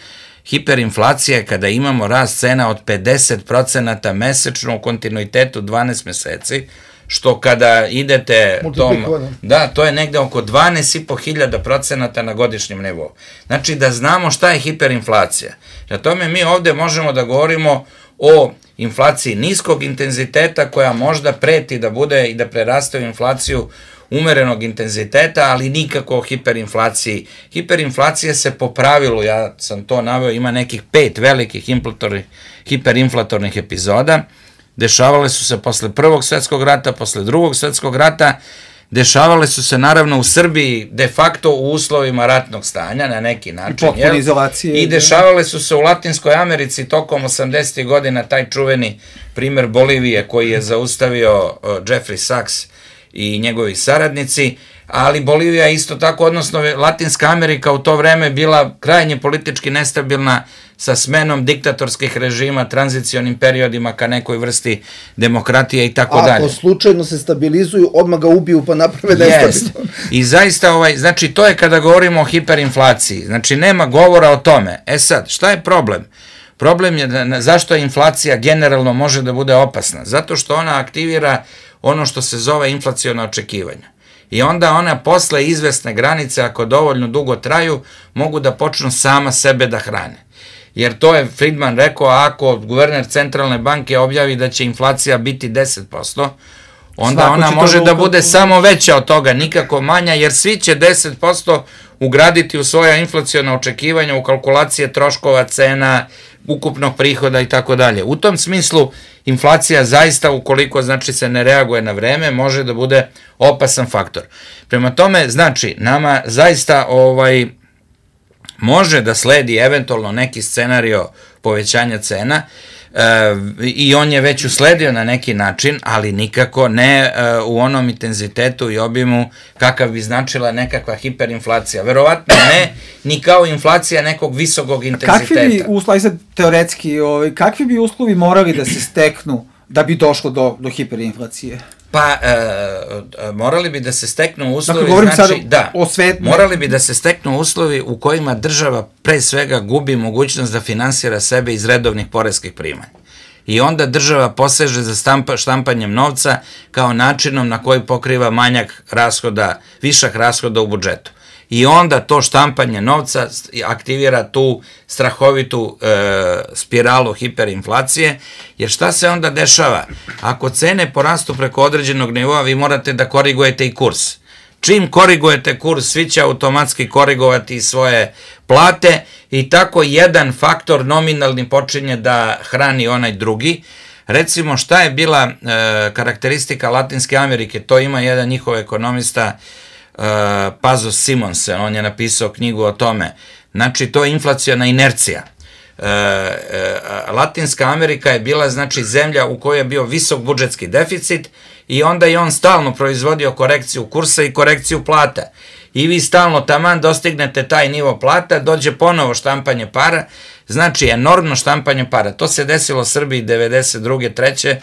hiperinflacija je kada imamo rast cena od 50% mesečno u kontinuitetu 12 meseci, što kada idete to je negde oko 12.500% na godišnjem nivou. Znači da znamo šta je hiperinflacija. Na tome mi ovde možemo da govorimo o inflaciji niskog intenziteta koja možda preti da bude i da preraste u inflaciju umerenog intenziteta, ali nikako o hiperinflaciji. Hiperinflacija se po pravilu, ja sam to naveo, ima nekih 5 velikih hiperinflatornih epizoda. Dešavale su se posle Prvog svetskog rata, posle Drugog svetskog rata, dešavale su se naravno u Srbiji de facto u uslovima ratnog stanja na neki način. I dešavale su se u Latinskoj Americi tokom 80. godina, taj čuveni primer Bolivije koji je zaustavio Jeffrey Sachs i njegovi saradnici, ali Bolivija isto tako, odnosno Latinska Amerika u to vreme bila krajnje politički nestabilna sa smenom diktatorskih režima, tranzicionim periodima ka nekoj vrsti demokratije i tako dalje. Ako slučajno se stabilizuju, odmah ga ubiju pa naprave nestabilno. I zaista, znači to je kada govorimo o hiperinflaciji, znači nema govora o tome. E sad, šta je problem? Problem je zašto inflacija generalno može da bude opasna? Zato što ona aktivira ono što se zove inflaciona očekivanja. I onda ona posle izvesne granice, ako dovoljno dugo traju, mogu da počnu sama sebe da hrane. Jer to je Friedman rekao, ako guverner centralne banke objavi da će inflacija biti 10%, onda ona može da bude samo veća od toga, nikako manja, jer svi će 10% ugraditi u svoja inflaciona očekivanja, u kalkulacije troškova, cena, ukupnog prihoda i tako dalje. U tom smislu, inflacija zaista, ukoliko znači se ne reaguje na vreme, može da bude opasan faktor. Prema tome, znači, nama zaista može da sledi eventualno neki scenario povećanja cena, i on je već usledio na neki način, ali nikako ne u onom intenzitetu i obimu kakav bi značila nekakva hiperinflacija. Verovatno ne, ni kao inflacija nekog visokog intenziteta. Kakvi bi uslovi, sad teoretski, kakvi bi uslovi morali da se steknu da bi došlo do hiperinflacije? Pa, morali bi da se steknu uslovi, dakle, govorim znači, sad o svetu. Morali bi da se steknu uslovi u kojima država pre svega gubi mogućnost da finansira sebe iz redovnih poreskih primanja. I onda država poseže za štampanjem novca kao načinom na koji pokriva manjak rashoda, višak rashoda u budžetu. I onda to štampanje novca aktivira tu strahovitu spiralu hiperinflacije, jer šta se onda dešava? Ako cene porastu preko određenog nivoa, vi morate da korigujete i kurs. Čim korigujete kurs, svi će automatski korigovati svoje plate i tako jedan faktor nominalni počinje da hrani onaj drugi. Recimo, šta je bila karakteristika Latinske Amerike? To ima jedan njihov ekonomista, Pazos Simonsen, on je napisao knjigu o tome. Znači, to je inflaciona inercija. Latinska Amerika je bila, znači, zemlja u kojoj je bio visok budžetski deficit i onda je on stalno proizvodio korekciju kursa i korekciju plata. I vi stalno taman dostignete taj nivo plata, dođe ponovo štampanje para, znači enormno štampanje para. To se desilo Srbiji 92. 3.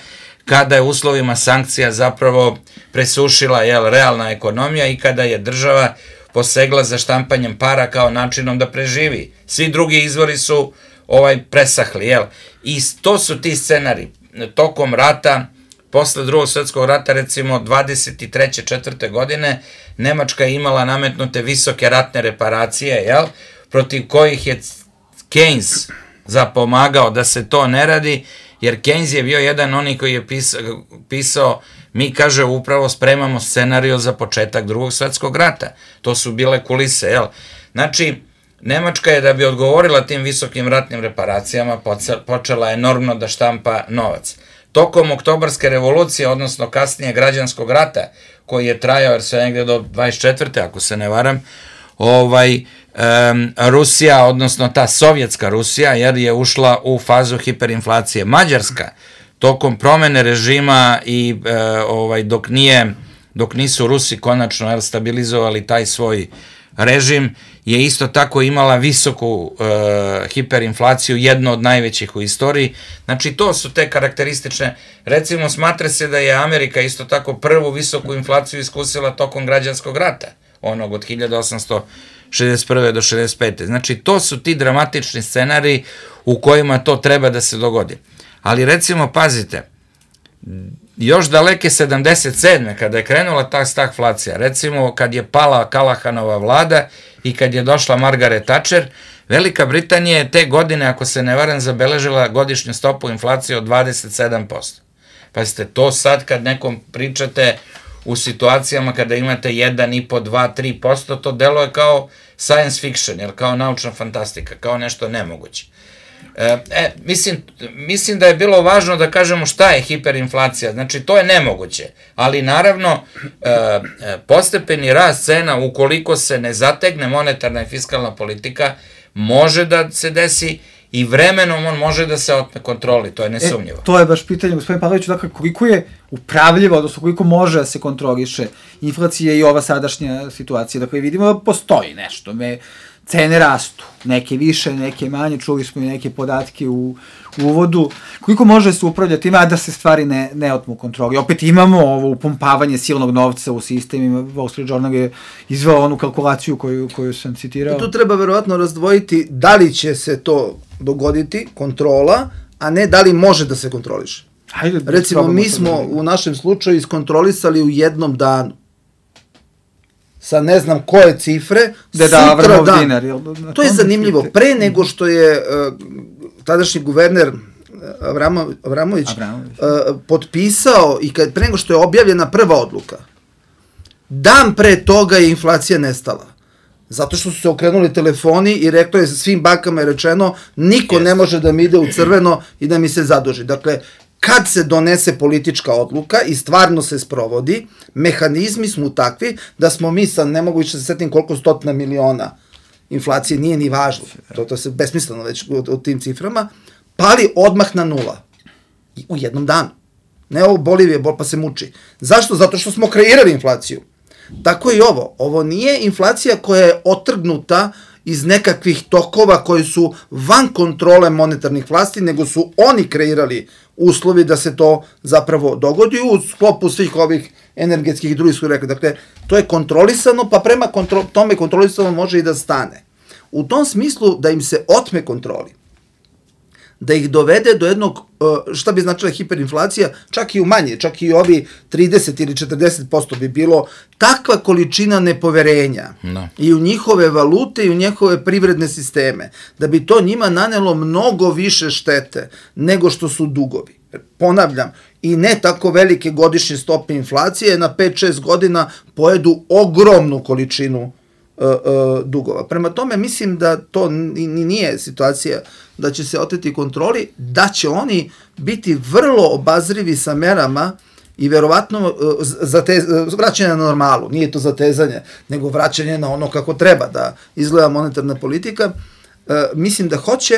kada je uslovima sankcija zapravo presušila realna ekonomija i kada je država posegla za štampanjem para kao načinom da preživi. Svi drugi izvori su presahli, I to su ti scenari. Tokom rata, posle Drugog svjetskog rata, recimo 23. 4. godine, Nemačka je imala nametnute visoke ratne reparacije, protiv kojih je Keynes zapomagao da se to ne radi, jer Keynes je bio jedan onih koji je pisao, mi, kaže, upravo spremamo scenario za početak Drugog svjetskog rata. To su bile kulise, Znači, Nemačka je, da bi odgovorila tim visokim ratnim reparacijama, počela enormno da štampa novac. Tokom Oktobarske revolucije, odnosno kasnije građanskog rata, koji je trajao, jer sve negde do 24. ako se ne varam, Rusija, odnosno ta sovjetska Rusija, jer je ušla u fazu hiperinflacije. Mađarska, tokom promene režima i dok nisu Rusi konačno stabilizovali taj svoj režim, je isto tako imala visoku hiperinflaciju, jednu od najvećih u istoriji. Znači, to su te karakteristične. Recimo, smatra se da je Amerika isto tako prvu visoku inflaciju iskusila tokom građanskog rata, onog od 1861. do 65. Znači, to su ti dramatični scenariji u kojima to treba da se dogodi. Ali, recimo, pazite, još daleke 77. kada je krenula ta stagflacija, recimo kad je pala Kalahanova vlada i kad je došla Margaret Thatcher, Velika Britanija je te godine, ako se ne varam, zabeležila godišnju stopu inflacije od 27%. Pazite, to sad kad nekom pričate u situacijama kada imate 1,5, 2, 3%, to deluje kao science fiction, jer kao naučna fantastika, kao nešto nemoguće. Mislim da je bilo važno da kažemo šta je hiperinflacija, znači to je nemoguće, ali naravno postepeni rast cena, ukoliko se ne zategne monetarna i fiskalna politika, može da se desi i vremenom on može da se otme kontroli, to je nesumnjivo. To je baš pitanje, gospodin Pavlović, dakle, koliko je upravljivo, odnosno koliko može da se kontroliše inflacija i ova sadašnja situacija. Dakle, vidimo da postoji nešto, cene rastu, neke više, neke manje, čuli smo i neke podatke u uvodu. Koliko može se upravljati ima, da se stvari ne otmu kontroli? Opet imamo ovo upumpavanje silnog novca u sistemima. Wall Street Journal je izveo onu kalkulaciju koju sam citirao. Tu treba verovatno razdvojiti da li će se to dogoditi, kontrola, a ne da li može da se kontroliše. Recimo, mi smo u našem slučaju iskontrolisali u jednom danu. sa ne znam koje cifre, sutra dan. To je zanimljivo. Pre nego što je tadašnji guverner Avramović potpisao i pre nego što je objavljena prva odluka, dan pre toga je inflacija nestala. Zato što su se okrenuli telefoni i reklo je, svim bankama je rečeno, niko ne može da mi ide u crveno i da mi se zaduži. Dakle, kad se donese politička odluka i stvarno se sprovodi, mehanizmi smo takvi da smo mi sad, ne mogu više da se setim koliko 100 miliona inflacije, nije ni važno, to se besmisleno već u tim ciframa, pali odmah na 0. U jednom danu. Ne ovo Bolivije, pa se muči. Zašto? Zato što smo kreirali inflaciju. Tako i ovo. Ovo nije inflacija koja je otrgnuta iz nekakvih tokova koji su van kontrole monetarnih vlasti, nego su oni kreirali uslovi da se to zapravo dogodi u sklopu svih ovih energetskih i drugih rekli. Dakle, to je kontrolisano, pa prema tome kontrolisano može i da stane. U tom smislu da im se otme kontroli, da ih dovede do jednog, šta bi značila hiperinflacija, čak i u manje, čak i ovi 30 ili 40% bi bilo takva količina nepoverenja i u njihove valute i u njihove privredne sisteme, da bi to njima nanelo mnogo više štete nego što su dugovi. Ponavljam, i ne tako velike godišnje stope inflacije na 5-6 godina pojedu ogromnu količinu dugova. Prema tome, mislim da to nije situacija da će se oteti kontroli, da će oni biti vrlo obazrivi sa merama i verovatno vraćanje na normalu, nije to zatezanje, nego vraćanje na ono kako treba da izgleda monetarna politika. Mislim da hoće,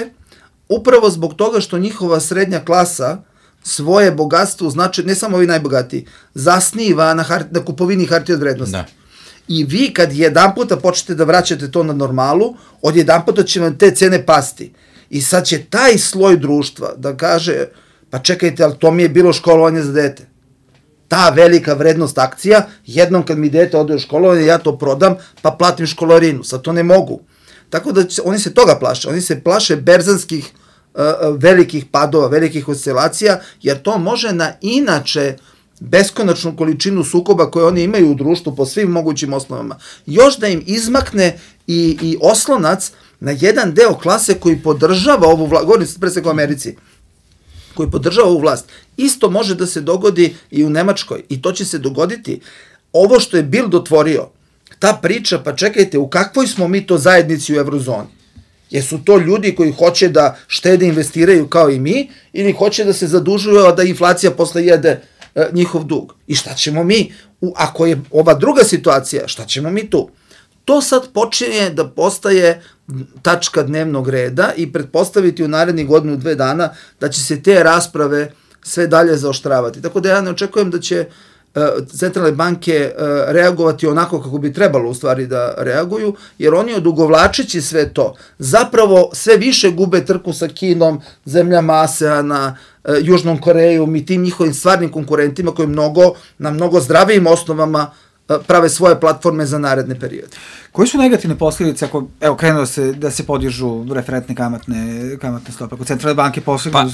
upravo zbog toga što njihova srednja klasa svoje bogatstvo, znači ne samo ovi najbogatiji, zasniva na kupovini hartija od vrednosti. Da. I vi kad jedan puta počnete da vraćate to na normalu, od jedan puta će vam te cene pasti. I sad će taj sloj društva da kaže, pa čekajte, ali to mi je bilo školovanje za dete. Ta velika vrednost akcija, jednom kad mi dete ode u školovanje, ja to prodam, pa platim školarinu. Sad to ne mogu. Tako da oni se toga plaše. Oni se plaše berzanskih velikih padova, velikih oscilacija, jer to može na inače beskonačnu količinu sukoba koje oni imaju u društvu po svim mogućim osnovama, još da im izmakne i oslonac na jedan deo klase koji podržava ovu vlast, govorim pre svega u Americi, koji podržava ovu vlast. Isto može da se dogodi i u Nemačkoj i to će se dogoditi. Ovo što je Bild otvorio, ta priča, pa čekajte, u kakvoj smo mi to zajednici u eurozoni? Jesu to ljudi koji hoće da štede, investiraju kao i mi, ili hoće da se zadužuju, a da inflacija posle jede njihov dug? I šta ćemo mi, ako je ova druga situacija, šta ćemo mi tu? To sad počinje da postaje tačka dnevnog reda i pretpostaviti u narednih 1-2 dana da će se te rasprave sve dalje zaoštravati. Tako da ja ne očekujem da će centralne banke reagovati onako kako bi trebalo u stvari da reaguju, jer oni odugovlačeći sve to zapravo sve više gube trku sa Kinom, zemljama ASEANA, Južnom Korejom i tim njihovim stvarnim konkurentima koji na mnogo zdravijim osnovama prave svoje platforme za naredne periode. Koji su negativne posljedice ako, krenuo da se podižu referentne kamatne stope, ako centralne banke postignu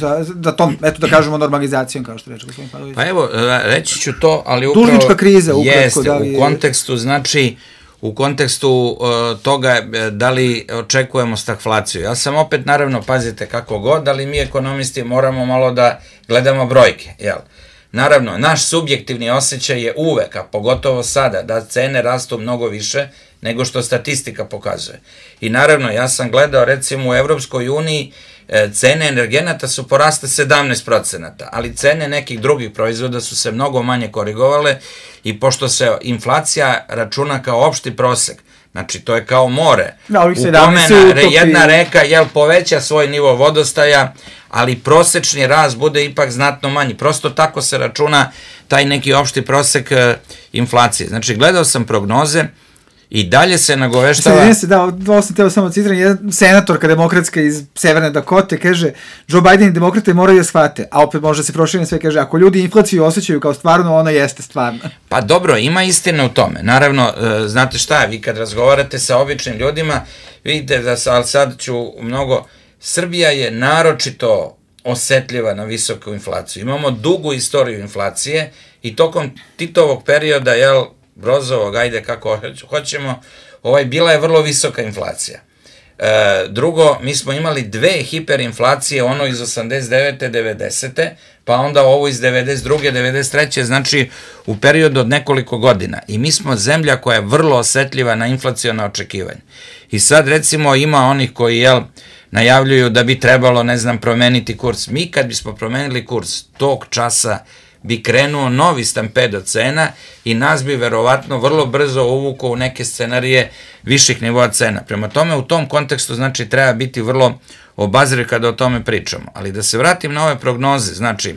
za tom, da kažemo, normalizacijom, kao što reče gospodin Pavlović? Pa evo, reći ću to, ali upravo... Dužnička kriza, ukratko, jeste, u kontekstu toga da li očekujemo stagflaciju. Ja sam opet, naravno, pazite kako god, ali mi ekonomisti moramo malo da gledamo brojke, jel? Naravno, naš subjektivni osjećaj je uvek, a pogotovo sada, da cene rastu mnogo više nego što statistika pokazuje. I naravno, ja sam gledao, recimo, u Evropskoj uniji cene energenata su poraste 17%, ali cene nekih drugih proizvoda su se mnogo manje korigovale i pošto se inflacija računa kao opšti prosek, znači to je kao more, u kome jedna reka poveća svoj nivo vodostaja, ali prosečni rast bude ipak znatno manji. Prosto tako se računa taj neki opšti prosek inflacije. Znači, gledao sam prognoze i dalje se nagoveštava... Ovo sam teo samo citiram, jedan senatorka demokratska iz Severne Dakote kaže, Joe Biden i demokrate moraju da shvate, a opet može se proširiti sve, kaže, ako ljudi inflaciju osjećaju kao stvarno, ona jeste stvarna. Pa dobro, ima istine u tome. Naravno, znate šta, vi kad razgovarate sa običnim ljudima, vidite da sad ću mnogo... Srbija je naročito osetljiva na visoku inflaciju. Imamo dugu istoriju inflacije i tokom Titovog perioda, Brozovog, ajde kako hoćemo, bila je vrlo visoka inflacija. Drugo, mi smo imali 2 hiperinflacije, ono iz 89. 90. pa onda ovo iz 92. 93. znači u periodu od nekoliko godina. I mi smo zemlja koja je vrlo osetljiva na inflaciona očekivanja. I sad recimo ima onih koji najavljuju da bi trebalo, ne znam, promeniti kurs. Mi kad bismo promenili kurs, tog časa bi krenuo novi stampedo cena i nas bi verovatno vrlo brzo uvukao u neke scenarije viših nivoa cena. Prema tome, u tom kontekstu, znači, treba biti vrlo obazriv kada o tome pričamo. Ali da se vratim na ove prognoze, znači,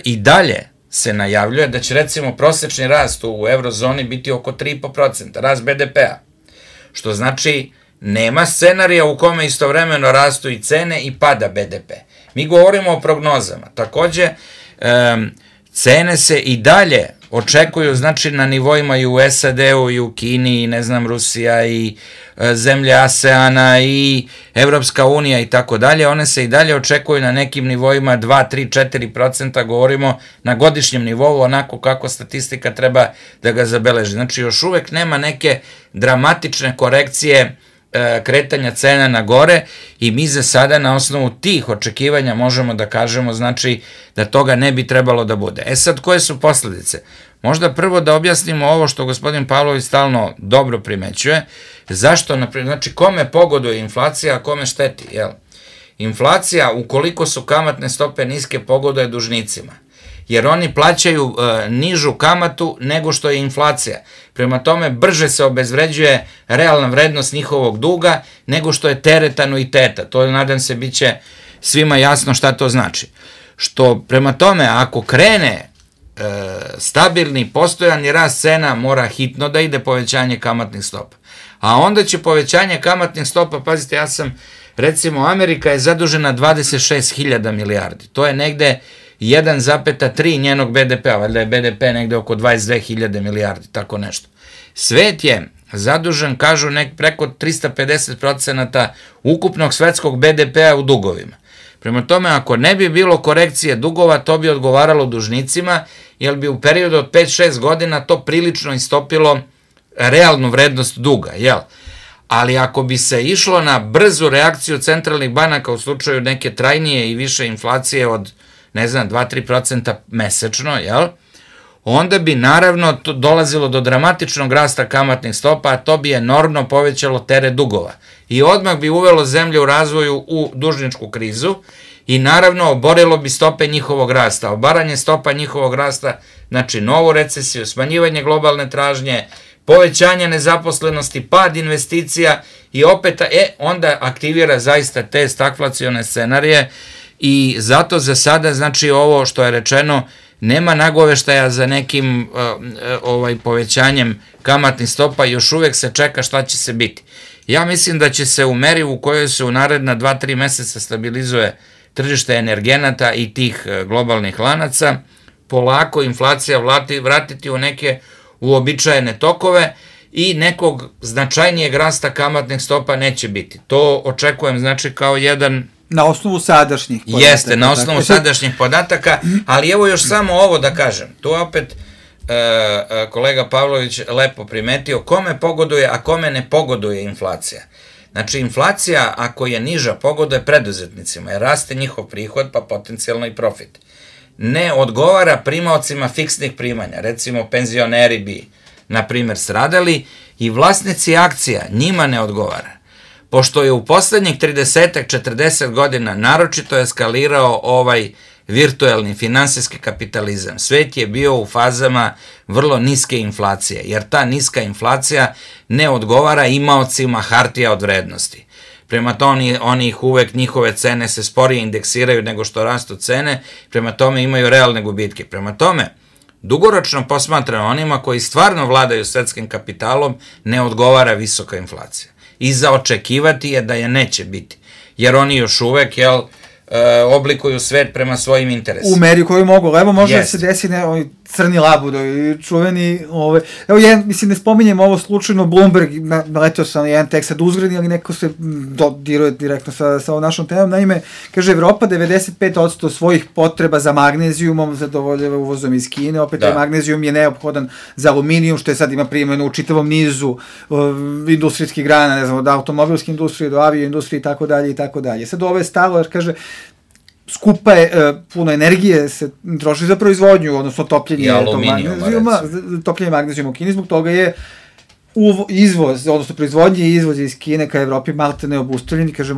i dalje se najavljuje da će, recimo, prosečni rast u eurozoni biti oko 3,5%, rast BDP-a, što znači nema scenarija u kome istovremeno rastu i cene i pada BDP. Mi govorimo o prognozama. Takođe, cene se i dalje očekuju, znači, na nivoima i u SAD-u, i u Kini, i ne znam, Rusija, i zemlje ASEANA, i Evropska unija, i tako dalje. One se i dalje očekuju na nekim nivoima 2, 3, 4%, govorimo na godišnjem nivou, onako kako statistika treba da ga zabeleži. Znači, još uvek nema neke dramatične korekcije kretanja cena na gore i mi za sada na osnovu tih očekivanja možemo da kažemo, znači, da toga ne bi trebalo da bude. E sad, koje su posledice? Možda prvo da objasnimo ovo što gospodin Pavlović stalno dobro primećuje, zašto, znači, kome pogoduje inflacija, a kome šteti, jel? Inflacija, ukoliko su kamatne stope niske, pogoduje dužnicima, jer oni plaćaju nižu kamatu nego što je inflacija. Prema tome, brže se obezvređuje realna vrednost njihovog duga nego što je teret anuiteta. To, nadam se, bit će svima jasno šta to znači. Što, prema tome, ako krene stabilni, postojani rast cena, mora hitno da ide povećanje kamatnih stopa. A onda će povećanje kamatnih stopa, pazite, recimo, Amerika je zadužena 26.000 milijardi. To je negde 1,3 njenog BDP-a, valjda je BDP negde oko 22.000 milijardi, tako nešto. Svet je zadužen, kažu, preko 350% ukupnog svetskog BDP-a u dugovima. Prema tome, ako ne bi bilo korekcije dugova, to bi odgovaralo dužnicima, jer bi u periodu od 5-6 godina to prilično istopilo realnu vrednost duga, jel? Ali ako bi se išlo na brzu reakciju centralnih banaka u slučaju neke trajnije i više inflacije od, ne znam, 2-3% mesečno, jel? Onda bi naravno dolazilo do dramatičnog rasta kamatnih stopa, a to bi enormno povećalo teret dugova. I odmah bi uvelo zemlju u razvoju u dužničku krizu i naravno oborilo bi stope njihovog rasta. Obaranje stopa njihovog rasta, znači novu recesiju, smanjivanje globalne tražnje, povećanje nezaposlenosti, pad investicija i opet, onda aktivira zaista te stagflacione scenarije i zato za sada, znači, ovo što je rečeno, nema nagoveštaja za nekim povećanjem kamatnih stopa, još uvek se čeka šta će se biti. Ja mislim da će se u meri u kojoj se u naredna 2-3 meseca stabilizuje tržište energenata i tih globalnih lanaca, polako inflacija vratiti u neke uobičajene tokove i nekog značajnijeg rasta kamatnih stopa neće biti. To očekujem, znači, kao jedan... Na osnovu sadašnjih podataka. Jeste, na osnovu sadašnjih podataka, ali evo još samo ovo da kažem. Tu opet kolega Pavlović lepo primetio kome pogoduje, a kome ne pogoduje inflacija. Znači, inflacija, ako je niža, pogoduje preduzetnicima, jer raste njihov prihod, pa potencijalno i profit. Ne odgovara primaocima fiksnih primanja, recimo penzioneri bi, na primjer, stradali i vlasnici akcija, njima ne odgovara. Pošto je u poslednjih 30-40 godina naročito eskalirao ovaj virtuelni finansijski kapitalizam, svet je bio u fazama vrlo niske inflacije, jer ta niska inflacija ne odgovara imaocima hartija od vrednosti. Prema tome, oni ih uvek, njihove cene se sporije indeksiraju nego što rastu cene, prema tome imaju realne gubitke. Prema tome, dugoročno posmatrano onima koji stvarno vladaju svetskim kapitalom ne odgovara visoka inflacija. I za očekivati je da je neće biti, jer oni još uvek, oblikuju svet prema svojim interesima. U meri koju mogu. Evo može da se desi crni labudovi, čuveni, evo mislim ne spominjem ovo slučajno, Bloomberg, naletio sam jedan tekst sad uzgredni, ali neko se dodiruje direktno sa našom temom, naime, kaže Evropa 95% svojih potreba za magnezijumom zadovoljava uvozom iz Kine, opet taj magnezijum je neophodan za aluminijum, što je sad ima primjenu u čitavom nizu industrijskih grana, ne znam, od automobilske industrije do avio industrije i tako dalje i tako dalje. Sad ovo je stalo, jer kaže, skupa je, puno energije se troši za proizvodnju, odnosno topljenje magnezijuma u Kini, zbog toga je izvoz, odnosno proizvodnje i izvoz iz Kine ka Evropi malte ne obustavljeni, kaže,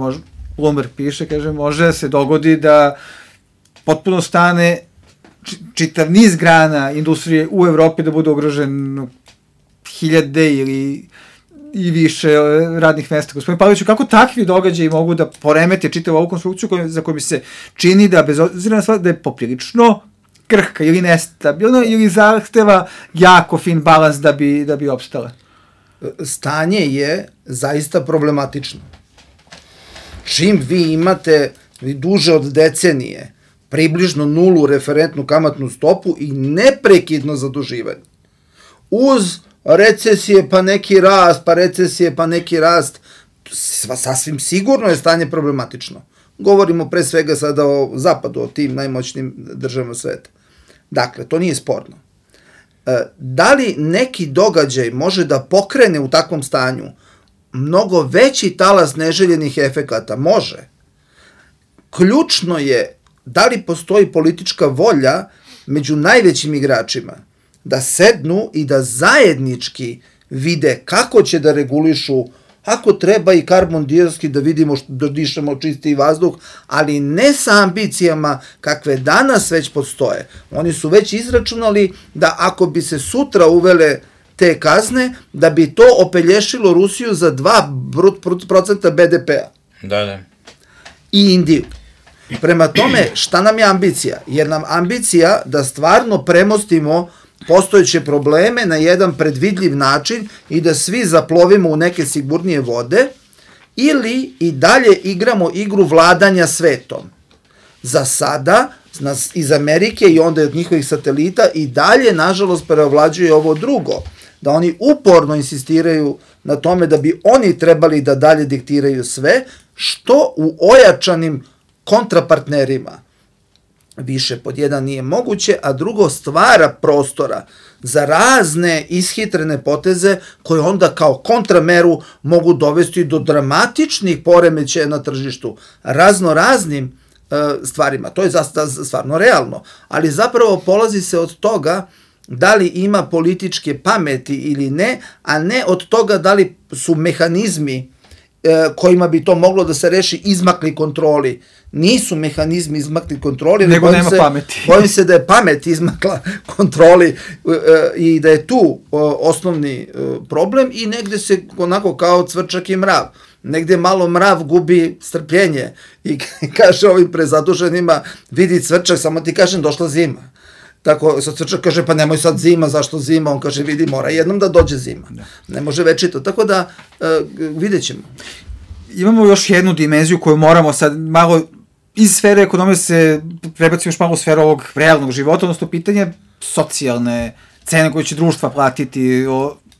Bloomberg piše, kaže, može se dogodi da potpuno stane čitav niz grana industrije u Evropi da bude ugrožen hiljade ili i više radnih mesta. Gospodin Pavloviću, kako takvi događaji mogu da poremete čitavu ovu konstrukciju za koju mi se čini da, bez obzira na stvar, da je poprilično krhka ili nestabilna ili zahteva jako fin balans da bi opstala? Stanje je zaista problematično. Čim vi imate duže od decenije približno nulu referentnu kamatnu stopu i neprekidno zaduživanje, uz recesije pa neki rast, sasvim sigurno je stanje problematično. Govorimo pre svega sada o zapadu, o tim najmoćnim državama sveta. Dakle, to nije sporno. Da li neki događaj može da pokrene u takvom stanju mnogo veći talas neželjenih efekata? Može. Ključno je da li postoji politička volja među najvećim igračima da sednu i da zajednički vide kako će da regulišu, ako treba i karbon dioksid da vidimo da dišemo čistiji vazduh, ali ne sa ambicijama kakve danas već postoje. Oni su već izračunali da ako bi se sutra uvele te kazne, da bi to opelješilo Rusiju za 2% BDP-a. Da. I Indiju. Prema tome, šta nam je ambicija? Jer nam ambicija da stvarno premostimo postojeće probleme na jedan predvidljiv način i da svi zaplovimo u neke sigurnije vode, ili i dalje igramo igru vladanja svetom. Za sada, iz Amerike i onda od njihovih satelita i dalje, nažalost, preovlađuje ovo drugo, da oni uporno insistiraju na tome da bi oni trebali da dalje diktiraju sve, što u ojačanim kontrapartnerima više pod jedan nije moguće, a drugo stvara prostora za razne ishitrene poteze koje onda kao kontrameru mogu dovesti do dramatičnih poremećaja na tržištu raznim stvarima. To je stvarno realno, ali zapravo polazi se od toga da li ima političke pameti ili ne, a ne od toga da li su mehanizmi kojima bi to moglo da se reši izmakli kontroli. Nisu mehanizmi izmakli kontroli, nego nema pameti. Bojim se da je pamet izmakla kontroli i da je tu osnovni problem i negde se onako kao cvrčak i mrav. Negde malo mrav gubi strpljenje i kaže ovim prezaduženima, vidi cvrčak, samo ti kažem došla zima. Tako, sad cvrčak kaže, pa nemoj sad zima, zašto zima? On kaže, vidi, mora jednom da dođe zima. Ne može večito. Tako da, vidjet ćemo. Imamo još jednu dimenziju koju moramo sad malo iz sfere ekonomije se prebacimo još malo u sferu ovog realnog života, odnosno pitanje socijalne cene koje će društva platiti.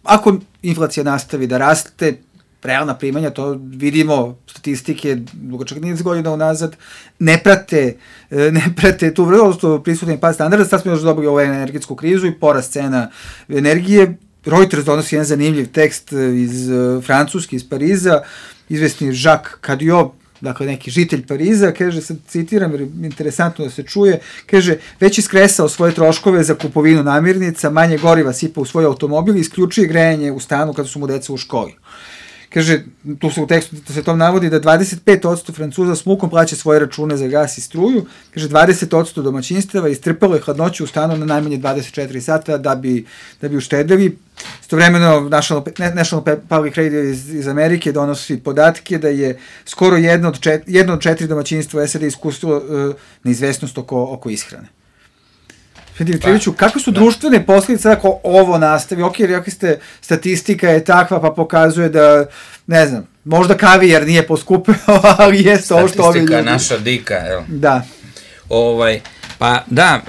Ako inflacija nastavi da raste, realna primanja, to vidimo, statistike dugačak niz godina unazad, ne prate tu vrlo prisutni pad standarda. Sad smo još dobili ovu energetsku krizu i porast cena energije. Reuters donosi jedan zanimljiv tekst iz Francuske, iz Pariza, izvesni Jacques Cadio, dakle neki žitelj Pariza, kaže, sad citiram, jer je interesantno da se čuje, kaže, već iskresao svoje troškove za kupovinu namirnica, manje goriva sipa u svoj automobil i isključuje grejanje u stanu kada su mu deca u školi. Kaže, tu se u tekstu se to navodi da 25% Francuza s mukom plaća svoje račune za gas i struju, kaže 20% domaćinstava istrpalo je hladnoću u stanu na najmanje 24 sata da bi uštedili. Istovremeno National Public Radio iz Amerike donosi podatke da je skoro jedno od 4 domaćinstva u SAD iskusilo neizvesnost oko ishrane. Dimitrijeviću, kakve su društvene posljedice ako ovo nastavi? Ok, rekli ste, statistika je takva pa pokazuje da, ne znam, možda kavijar nije poskupeo, ali jeste ovo što ovi ljudi. Statistika naša dika, jel? Da. Pa da,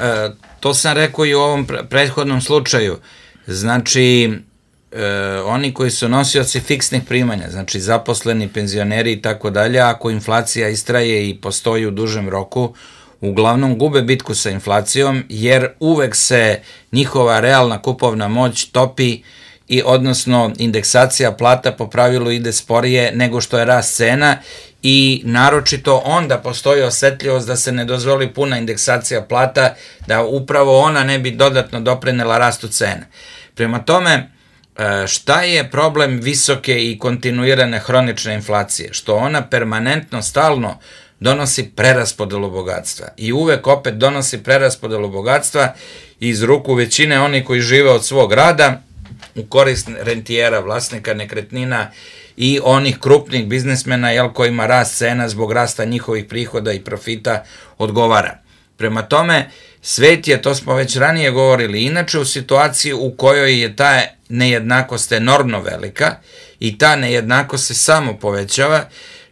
to sam rekao i u ovom prethodnom slučaju. Znači, oni koji su nosioci fiksnih primanja, znači zaposleni, penzioneri i tako dalje, ako inflacija istraje i postoji u dužem roku, uglavnom gube bitku sa inflacijom, jer uvek se njihova realna kupovna moć topi i odnosno indeksacija plata po pravilu ide sporije nego što je rast cena i naročito onda postoji osetljivost da se ne dozvoli puna indeksacija plata, da upravo ona ne bi dodatno doprinela rastu cena. Prema tome, šta je problem visoke i kontinuirane hronične inflacije? Što ona permanentno, stalno donosi preraspodelu bogatstva i uvek opet donosi preraspodelu bogatstva iz ruku većine onih koji žive od svog rada u korist rentijera, vlasnika nekretnina i onih krupnih biznismena kojima rast cena zbog rasta njihovih prihoda i profita odgovara. Prema tome, svet je, to smo već ranije govorili, inače u situaciji u kojoj je ta nejednakost enormno velika i ta nejednakost se samo povećava.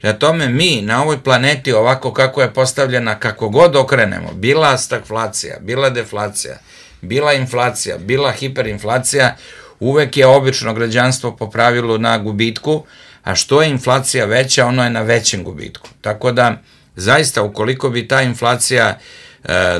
Na tome mi na ovoj planeti ovako kako je postavljena, kako god okrenemo, bila stagflacija, bila deflacija, bila inflacija, bila hiperinflacija, uvek je obično građanstvo po pravilu na gubitku, a što je inflacija veća, ono je na većem gubitku. Tako da, zaista, ukoliko bi ta inflacija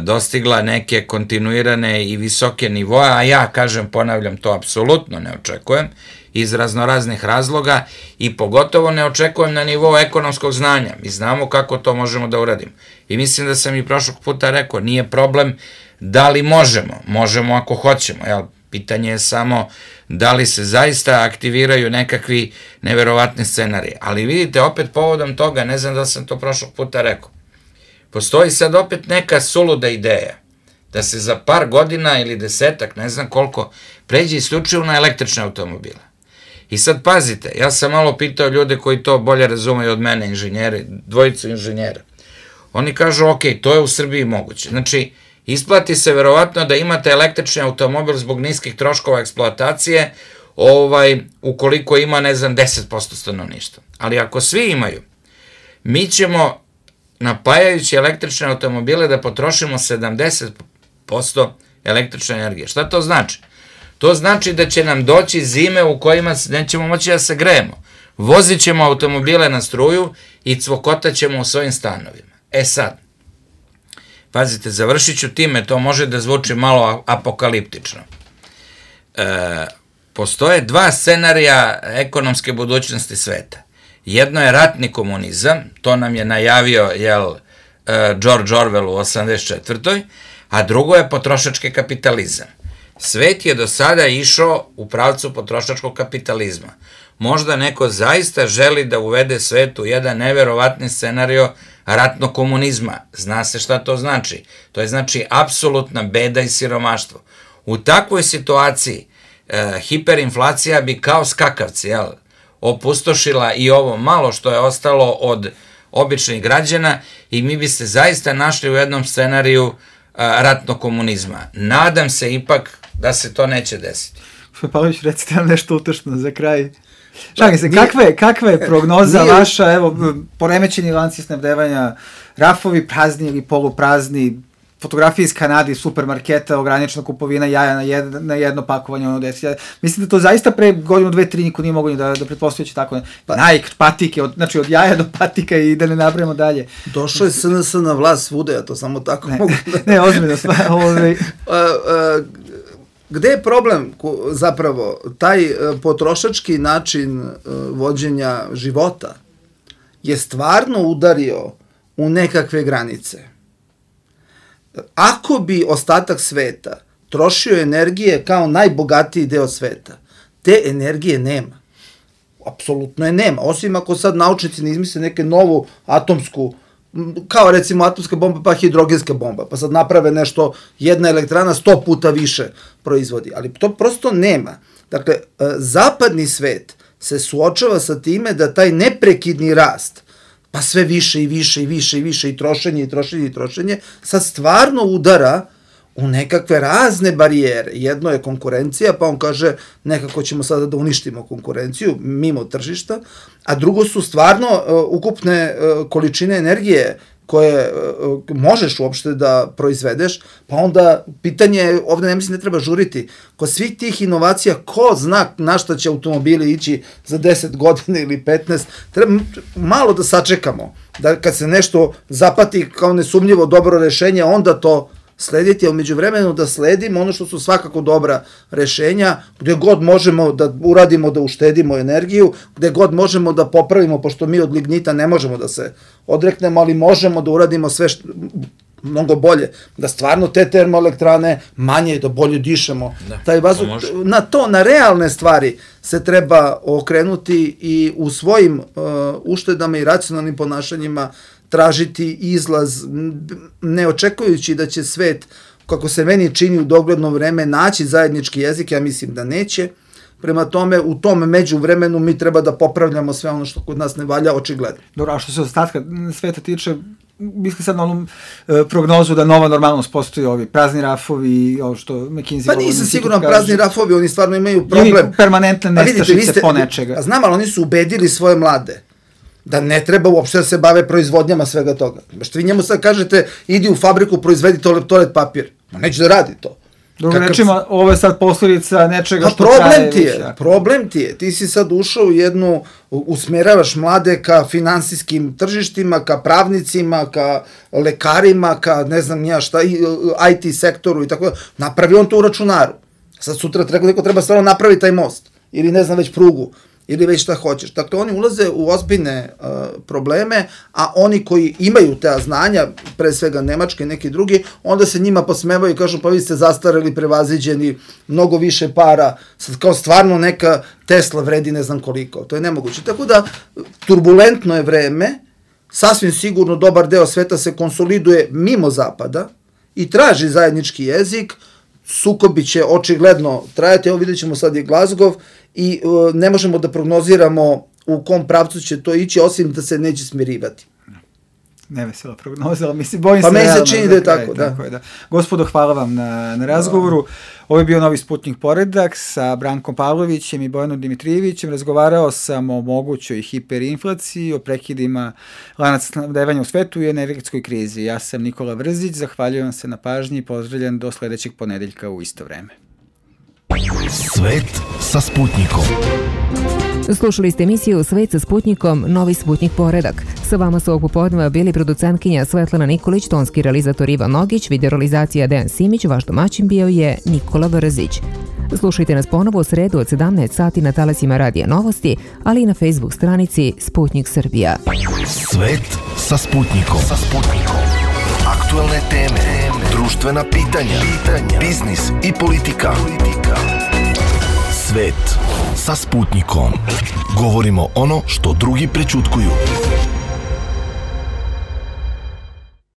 dostigla neke kontinuirane i visoke nivoe, a ja kažem, ponavljam, to apsolutno ne očekujem, iz raznoraznih razloga i pogotovo ne očekujem na nivou ekonomskog znanja. Mi znamo kako to možemo da uradimo. I mislim da sam i prošlog puta rekao, nije problem da li možemo, možemo ako hoćemo, jel? Pitanje je samo da li se zaista aktiviraju nekakvi neverovatni scenariji. Ali vidite, opet povodom toga, ne znam da sam to prošlog puta rekao, postoji sad opet neka suluda ideja da se za par godina ili desetak, ne znam koliko, pređe isključivo na električne automobile. I sad pazite, ja sam malo pitao ljude koji to bolje razumeju od mene, inženjeri, dvojicu inženjera. Oni kažu, ok, to je u Srbiji moguće. Znači, isplati se verovatno da imate električni automobil zbog niskih troškova eksploatacije, ukoliko ima, ne znam, 10% stanovništva. Ali ako svi imaju, mi ćemo, napajajući električne automobile, da potrošimo 70% električne energije. Šta to znači? To znači da će nam doći zime u kojima nećemo moći da se grejemo. Vozit ćemo automobile na struju i cvokotat ćemo u svojim stanovima. Sad, pazite, završit ću time, to može da zvuči malo apokaliptično. Postoje dva scenarija ekonomske budućnosti sveta. Jedno je ratni komunizam, to nam je najavio George Orwell u 1984. A drugo je potrošački kapitalizam. Svet je do sada išao u pravcu potrošačkog kapitalizma. Možda neko zaista želi da uvede svet u jedan neverovatni scenario ratnog komunizma. Zna se šta to znači. To je znači apsolutna beda i siromaštvo. U takvoj situaciji hiperinflacija bi kao skakavci, opustošila i ovo malo što je ostalo od običnih građana i mi bi se zaista našli u jednom scenariju ratnog komunizma. Nadam se ipak da se to neće desiti. Pavlović, recite nam nešto utešno za kraj. Šalim se, kakva je prognoza vaša, evo, poremećeni lanci snabdevanja, rafovi prazni ili poluprazni, fotografije iz Kanade, supermarketa, ograničena kupovina jaja na jedno pakovanje, ono desi. Mislim da to zaista pre godinu, 2, 3 niko nije mogo da pretpostavljaći tako. Nike, patike, znači od jaja do patika i da ne nabrajamo dalje. Došao je SNS na vlast svuda, ja to samo tako mogu da... Ne, ozbiljno stvar. Gde je problem zapravo? Taj potrošački način vođenja života je stvarno udario u nekakve granice. Ako bi ostatak sveta trošio energije kao najbogatiji deo sveta, te energije nema. Apsolutno je nema. Osim ako sad naučnici ne izmisle neke novu atomsku, kao recimo atomska bomba pa hidrogenska bomba, pa sad naprave nešto, jedna elektrana 100 puta više proizvodi, ali to prosto nema. Dakle, zapadni svet se suočava sa time da taj neprekidni rast, pa sve više i više i više i više i trošenje i trošenje i trošenje, sad stvarno udara u nekakve razne barijere. Jedno je konkurencija, pa on kaže nekako ćemo sada da uništimo konkurenciju mimo tržišta, a drugo su stvarno ukupne količine energije koje možeš uopšte da proizvedeš, pa onda pitanje, ovde ne mislim ne treba žuriti, kod svih tih inovacija, ko zna na šta će automobili ići za 10 godina ili 15, treba malo da sačekamo, da kad se nešto zapati kao nesumnjivo dobro rešenje, onda to slediti, a umeđu vremenu da sledimo ono što su svakako dobra rešenja, gde god možemo da uradimo da uštedimo energiju, gde god možemo da popravimo, pošto mi od lignita ne možemo da se odreknemo, ali možemo da uradimo sve mnogo bolje, da stvarno te termoelektrane manje, da bolje dišemo. Taj vazduh, na realne stvari se treba okrenuti i u svojim uštedama i racionalnim ponašanjima tražiti izlaz, ne očekujući da će svet, kako se meni čini u dogledno vreme, naći zajednički jezik, ja mislim da neće. Prema tome, u tom međuvremenu mi treba da popravljamo sve ono što kod nas ne valja, očigledno. Dobro, a što se ostatka sveta tiče, misli sad na onu prognozu da nova normalnost postoji, ovi prazni rafovi, ovo što McKinsey... Pa nisam siguran, prazni rafovi, oni stvarno imaju problem. Ili permanentne nestašice po nečega. Znam, ali oni su ubedili svoje mlade da ne treba uopšte da se bave proizvodnjama svega toga. Što vi njemu sad kažete, idi u fabriku, proizvedi toalet papir. Neće da radi to. Drugim rečima, ovo je sad posljedica nečega što traje. Problem ti je. Ti si sad ušao u jednu, usmeravaš mlade ka finansijskim tržištima, ka pravnicima, ka lekarima, ka ne znam nija šta, IT sektoru i tako da. Napravi on to u računaru. Sad sutra treba stvarno napraviti taj most. Ili ne znam već prugu. Ili već šta hoćeš. Dakle, oni ulaze u ozbiljne probleme, a oni koji imaju te znanja, pre svega Nemačke i neki drugi, onda se njima posmevaju i kažu, pa vi ste zastareli, prevaziđeni, mnogo više para, sad kao stvarno neka Tesla vredi ne znam koliko. To je nemoguće. Tako da, turbulentno je vreme, sasvim sigurno dobar deo sveta se konsoliduje mimo zapada i traži zajednički jezik, sukobi će očigledno trajati, evo vidjet ćemo sad i Glasgow, i ne možemo da prognoziramo u kom pravcu će to ići, osim da se neće smirivati. Nevesela prognoza, ali mislim, bojim se realno. Pa meni se čini da je tako, da. Tako je, da. Gospodo, hvala vam na razgovoru. Ovo je bio Novi Sputnik poredak sa Brankom Pavlovićem i Bojanom Dimitrijevićem. Razgovarao sam o mogućoj hiperinflaciji, o prekidima lanaca snabdevanja u svetu i energetskoj krizi. Ja sam Nikola Vrzić, zahvaljujem se na pažnji i pozdravljam do sledećeg ponedeljka u isto vreme. Svet sa Sputnikom. Slušali ste emisiju Svet sa Sputnikom, Novi Sputnik poredak. Sa vama su ovog popodneva bili producentkinja Svetlana Nikolić, tonski realizator Ivan Nogić, videorealizacija Dejan Simić, vaš domaćin bio je Nikola Vrzić. Slušajte nas ponovo u sredu od 17 sati na talasima Radija Novosti, ali i na Facebook stranici Sputnik Srbija. Svet sa Sputnikom. Aktualne teme, društvena pitanja, biznis i politika. Svet sa Sputnikom. Govorimo ono što drugi prećutkuju.